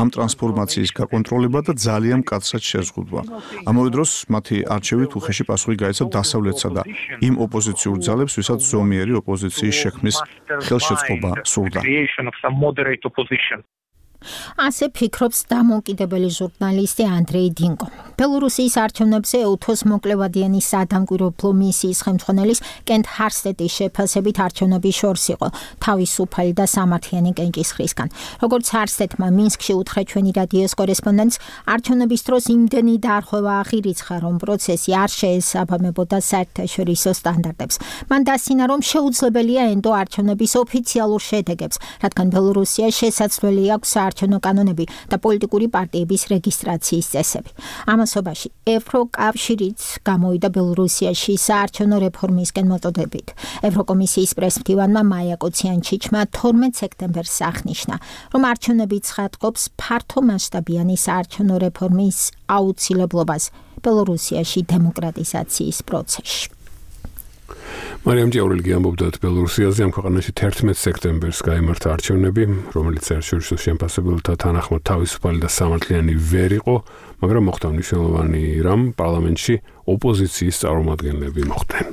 ამ ტრანსფორმაციის გაკონტროლება და ძალიან მკაცრად შეზღუდვა. ამავე დროს მათი არჩევით უხეში პასუხი გაეცა დასავლეთსა და იმ ოპოზიციურ ძალებს, ვისაც ზომიერი ოპოზიციის შექმნის ხელშეწყობა სურდა. ასე ფიქრობს დამოუკიდებელი ჟურნალისტი ანდრეი დინგო. ბელორუსიის არჩევნებზე ეუთოს მოკლევადიანი სადამკვირვებლო მისიის ხელმძღვანელის კენტ ჰარსტეტის შეფასებით არჩევნები შორს იყო თავისუფალი და სამართლიანი კენჭისყრისგან. როგორც ჰარსტეტმა მინსკში უთხრა ჩვენი რადიოს კორესპონდენტს, არჩევნების დროს იმდენი დარღვევა აღირიცხა, რომ პროცესი არ შეესაბამებოდა საერთაშორისო სტანდარტებს. მან დასცინა, რომ შეუძლებელია ენდო არჩევნების ოფიციალურ შედეგებს, რადგან ბელორუსია შესაძლებელი აქვს საარჩევნო კანონები და პოლიტიკური პარტიების რეგისტრაციის წესები. ამასობაში ევროკავშირიც გამოვიდა ბელორუსიაში საარჩევნო რეფორმისკენ მოტოდებით. ევროკომისიის პრესმდივანმა მაია კოციანჩიჩმა 12 სექტემბერს აღნიშნა, რომ არჩევნები ცხადყოფს ფართო მასშტაბიანი საარჩევნო რეფორმის აუცილებლობას ბელორუსიაში დემოკრატიზაციის პროცესში. მარიამ ჭიაურელი ამბობდა ბელორუსიაზე, ამ ქვეყანაში 11 სექტემბერს გაიმართა არჩევნები, რომელიც საერთაშორისო შემფასებელთა თანახმად თავისუფალი და სამართლიანი ვერ იყო, მაგრამ მოხდა მნიშვნელოვანი რამ, პარლამენტში ოპოზიციის წარმომადგენლები მოხვდნენ.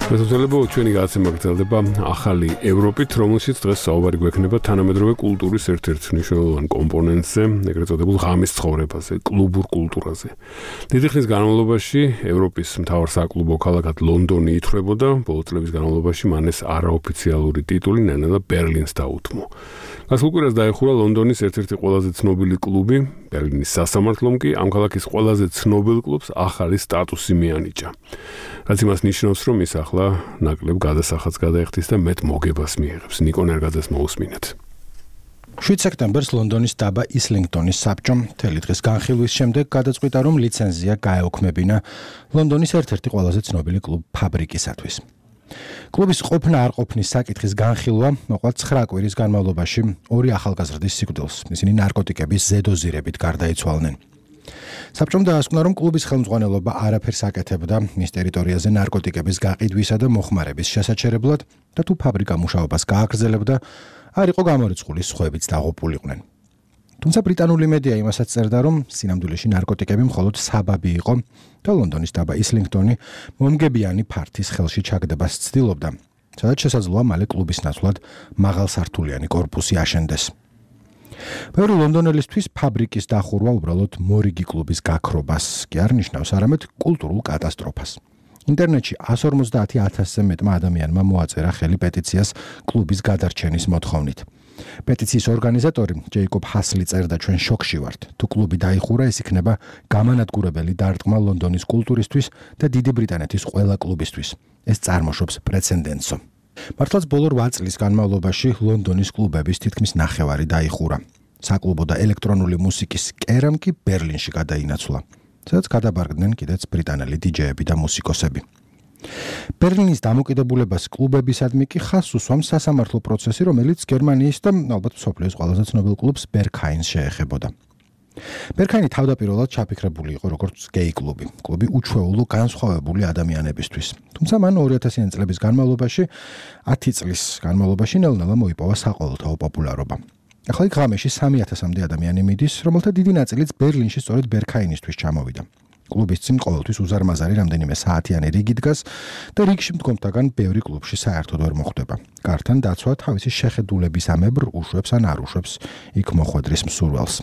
მეზობლებო, ჩვენი გადაცემა გრძელდება ახალი ევროპით, რომელშიც დღეს საუბარი გვექნება თანამედროვე კულტურის ერთ-ერთ მნიშვნელოვან კომპონენტზე, ეგრეთ წოდებულ ღამის ცხოვრებაზე, კლუბურ კულტურაზე. დიდი ხნის განმავლობაში ევროპის მთავარ საკლუბო ქალაქად ლონდონი ითვლებოდა, ბოლო წლების განმავლობაში მან ეს არაოფიციალური ტიტული ნელ-ნელა ბერლინს დაუთმო. გასულ კვირას დაეხურა ლონდონის ერთ-ერთი ყველაზე ცნობილი კლუბი, ბერლინის სასამართლომ კი ამ ქალაქის ყველაზე ცნობილ კლუბს ახალი სტატუსი მიანიჭა. რაც იმას ნიშნავს, რომ ის ახლა ნაკლებ გადასახადს გადაეხდის და მეტ მოგებას მიიღებს. ნიკო ნერგაძეს მოусმინეთ. 7 სექტემბერს ლონდონის დაბა ისლინგტონის საბჭომ მთელი დღის განხილვის შემდეგ გადაწყვიტა, რომ ლიცენზია გაეოქმებინა ლონდონის ერთ-ერთი ყველაზე ცნობილი კლუბ ფაბრიკისათვის. კლუბის ყოფნა არ ყოფნის საკითხის განხილვა მოყვა 9 კვირის განმავლობაში 2 ახალგაზრდის სიკვდილს. ისინი ნარკოტიკების ზედოზირებით გარდაიცვალნენ. საბჭომ დაასკვნა, რომ კლუბის ხელმძღვანელობა არაფერს აკეთებდა მის ტერიტორიაზე ნარკოტიკების გაყიდვისა და მოხმარების შესაჩერებლად და თუ ფაბრიკა მუშაობას გააგრძელებდა, არ იყო გამორიცხული სხვაებიც დაღუპულიყვნენ. თუმცა ბრიტანული მედია იმასაც წერდა, რომ სინამდვილეში ნარკოტიკები მხოლოდ საბაბი იყო და ლონდონის დაბა ისლინგტონი მომგებიანი ფართის ხელში ჩაგდებას ცდილობდა, სადაც შესაძლოა მალე კლუბის ნაცვლად მაღალსართულიანი კორპუსი აშენდეს. ბევრი ლონდონელისთვის ფაბრიკის დახურვა უბრალოდ მორიგი კლუბის გაქრობას კი არ ნიშნავს, არამედ კულტურულ კატასტროფას. ინტერნეტში 150,000-ზე მეტმა ადამიანმა მოაწერა ხელი პეტიციას კლუბის გადარჩენის მოთხოვნით. პეტიციის ორგანიზატორი ჯეიკობ ჰასლი წერდა, ჩვენ შოკში ვართ. თუ კლუბი დაიხურა, ეს იქნება გამანადგურებელი დარტყმა ლონდონის კულტურისთვის და დიდი ბრიტანეთის ყველა კლუბისთვის. ეს წარმოშობს პრეცედენტსო. მართლაც ბოლო 8 წლის განმავლობაში ლონდონის კლუბების თითქმის ნახევარი დაიხურა. საკლუბო და ელექტრონული მუსიკის კერამ კი ბერლინში გადაინაცვლა, სადაც გადაბარგდნენ კიდეც ბრიტანელი დიჯეები და მუსიკოსები. ბერლინის დამოკიდებულებას კლუბებისადმი კი ხაზს უსვამს სასამართლო პროცესი, რომელიც გერმანიის და ალბათ მსოფლიოს ყველაზე ცნობილ კლუბს ბერგჰაინს შეეხებოდა. ბერგჰაინი თავდაპირველად ჩაფიქრებული იყო როგორც გეი კლუბი, კლუბი უჩვეულო განსხვავებული ადამიანებისთვის. თუმცა მან 2000-იან წლების განმავლობაში 10 წლის განმავლობაში ნელ-ნელა მოიპოვა საყოველთაო პოპულარობა. ახლა იქ ღამეში 3000-მდე ადამიანი მიდის, რომელთა დიდი ნაწილიც ბერლინში სწორედ ბერგჰაინისთვის ჩამოვიდა. კლუბის წინ ყოველთვის უზარმაზარი რამდენიმე საათიანი რიგი დგას და რიგში მდგომთაგან ბევრი კლუბში საერთოდ ვერ მოხვდება. გართან დაცვა თავისი შეხედულების ამებრ უშვებს ან არ უშვებს იქ მოხვედრის მსურველს.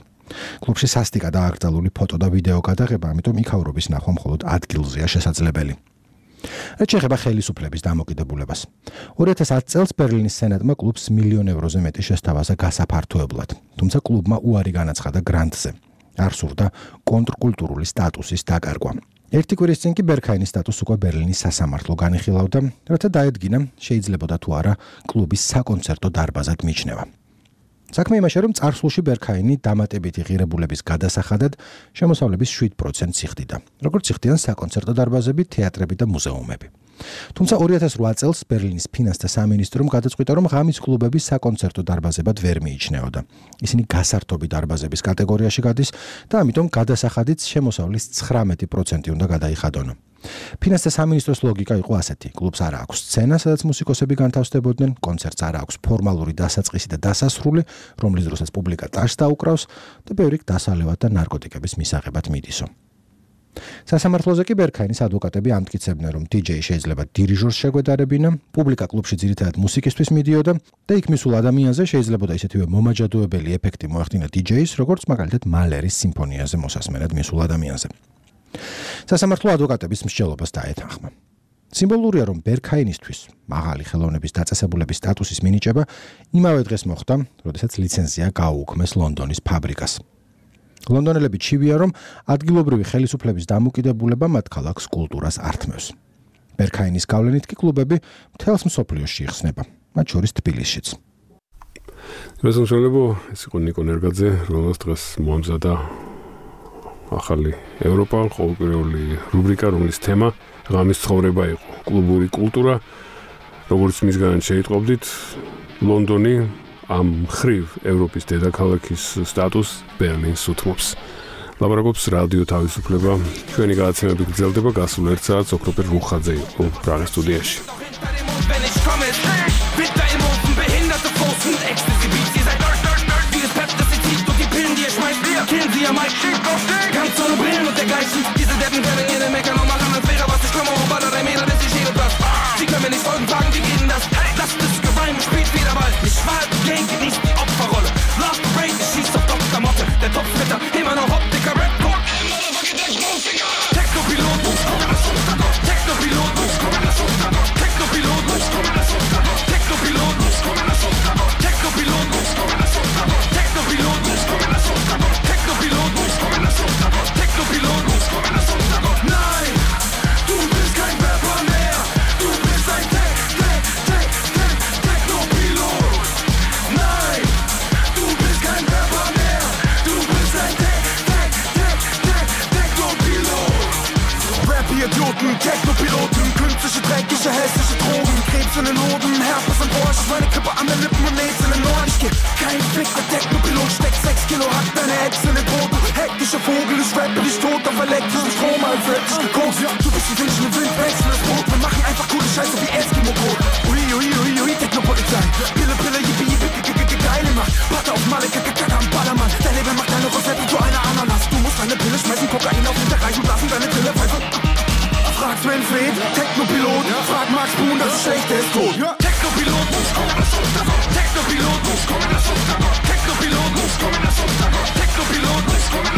კლუბში სასტიკად დააკრძალული ფოტო და ვიდეო გადაღება, ამიტომ იქაურობის ნახვა მხოლოდ ადგილზეა შესაძლებელი. რაც შეეხება ხელისუფლების დამოკიდებულებას. 2010 წელს ბერლინის სენატმა კლუბს €1,000,000 ევროზე მეტი შესთავაზა გასაფართოებლად, თუმცა კლუბმა უარი განაცხადა გრანტზე. არ სურდა კონტრკულტურული სტატუსის დაკარგვა. ერთი კვირის წინ კი ბერგჰაინის სტატუსს უკვე ბერლინის სასამართლო განიხილავდა, რათა დაედგინა შეიძლებოდა თუ არა კლუბის საკონცერტო დარბაზად მიჩნევა. საქმე იმაშია, რომ წარსულში ბერგჰაინი დამატებითი ღირებულების გადასახადად შემოსავლების 7%-ს იხდიდა, როგორც იხდიან საკონცერტო დარბაზები, თეატრები და მუზეუმები. თუმცა 2008 წელს ბერლინის ფინანსთა სამინისტრომ გადაწყვიტა, რომ ღამის კლუბები საკონცერტო დარბაზებად ვერ მიიჩნეოდა. ისინი გასართობი დარბაზების კატეგორიაში გადის და ამიტომ გადასახადიც შემოსავლის 19% უნდა გადაიხადონო. ფინანსთა სამინისტროს ლოგიკა იყო ასეთი: კლუბს არ აქვს სცენა, სადაც მუსიკოსები განთავსდებოდნენ, კონცერტს არ აქვს ფორმალური დასაწყისი და დასასრული, რომლის დროსაც პუბლიკა ტაშს დაუკრავს და ბევრი დასალევად და ნარკოტიკების მისაღებად მიდისო. სასამართლოზე კი ბერგჰაინის ადვოკატები ამტკიცებდნენ, რომ დიჯეი შეიძლება დირიჟორს შეგვედარებინა, პუბლიკა კლუბში ძირითადად მუსიკისთვის მიდიოდა და იქ მისულ ადამიანზე შეიძლებოდა ისეთივე მომაჯადოებელი ეფექტი მოახდინა დიჯეის, როგორც მაგალითად მალერის სიმფონიაზე მოსასმენად მისულ ადამიანზე. სასამართლო ადვოკატების მსჯელობას დაეთანხმა. სიმბოლურია, რომ ბერგჰაინისთვის მაღალი ხელოვნების დაწესებულების სტატუსის მინიჭება იმავე დღეს მოხდა, როდესაც ლიცენზია გაუუქმეს ლონდონის ფაბრიკას. ლონდონელები ჩივია, რომ ადგილობრივი ხელისუფლების დამოკიდებულება მათ ქალაქს კულტურას ართმევს. ბერგჰაინის გავლენით კი კლუბები მთელს მსოფლიოში იხსნება, მათ შორის თბილისშიც. რეზოლუციებო ეს იყო ნიკო ნერგაძე, რომელსაც დღეს მოამზადა ახალი ევროპა, ყოველკვირეული რუბრიკა, რომლის თემა ღამის ცხოვრება იყო, კლუბური კულტურა, როგორც მისგან შეიტყობდით, ლონდონი ამ მხრივ ევროპის დედაქალაქის სტატუსს ბერლინს უთმობს. ლაპარაკობს რადიო თავისუფლება, ჩვენი გადაცემები გრძელდება გასულ 1 საათს, ოქროპერ რუხაძე იყო პრაღის სტუდიაში. Kennen Sie ja mein Schiff auf Steg Ganz ohne Brillen und dergleichen Diese Deppen können jede Mecker und machen als wäre was Ich komme auf Baller, der Meter, das ist hier und das Sie können mir nicht folgen, fragen, wie geht denn das? Lasst das Gewein, spielt wieder Ball Nicht schwal, Gang, genießt die Opferrolle Love the Break, schießt auf Dr. Motte Der Topfritter, immer noch Optiker, Rap-Code Techno-Pilot, Techno-Pilot, Techno-Pilot, Techno-Pilot, Techno-Pilot, Nein, du bist kein Rapper mehr, du bist ein Techno-Pilot. Nein, du bist kein Rapper mehr, du bist ein Techno-Pilot. Rap-Idioten, Techno-Piloten, Künstliche, dreckige, hässliche Drogen, Krebs in den Hoden, Herpes und Borsch, meine Kippe an den Lippen und Aids in den Ohren. Ich geh kein Fick, der Technopilot steckt 6 Kilo, hat deine Ex in den Boden. Hektischer Vogel, ich rappe dich tot auf elektrischen Strom, als hätt ich gekokst. Du bist ein Wünschen, Wind, wechseln das Brot. Wir machen einfach coole Scheiße wie Eskimo-Brot. Ui, ui, ui, ui, Technopolizei. Pille, Pille, yippie, yippie, geile Macht. Patte auf Malle, Kacke am Ballermann. Dein Leben macht deine Rosette zu einer Ananas. Du musst eine Pille schmeißen, Kokain auf Hinterreich und lassen deine Pille pfeifen. Frag Sven Fred, Technopilot. Frag Max Boon, das Schlechte ist tot. Technopilot muss kommen, das Technopilot muss kommen, das Technopilot muss kommen, das Technopilot muss kommen,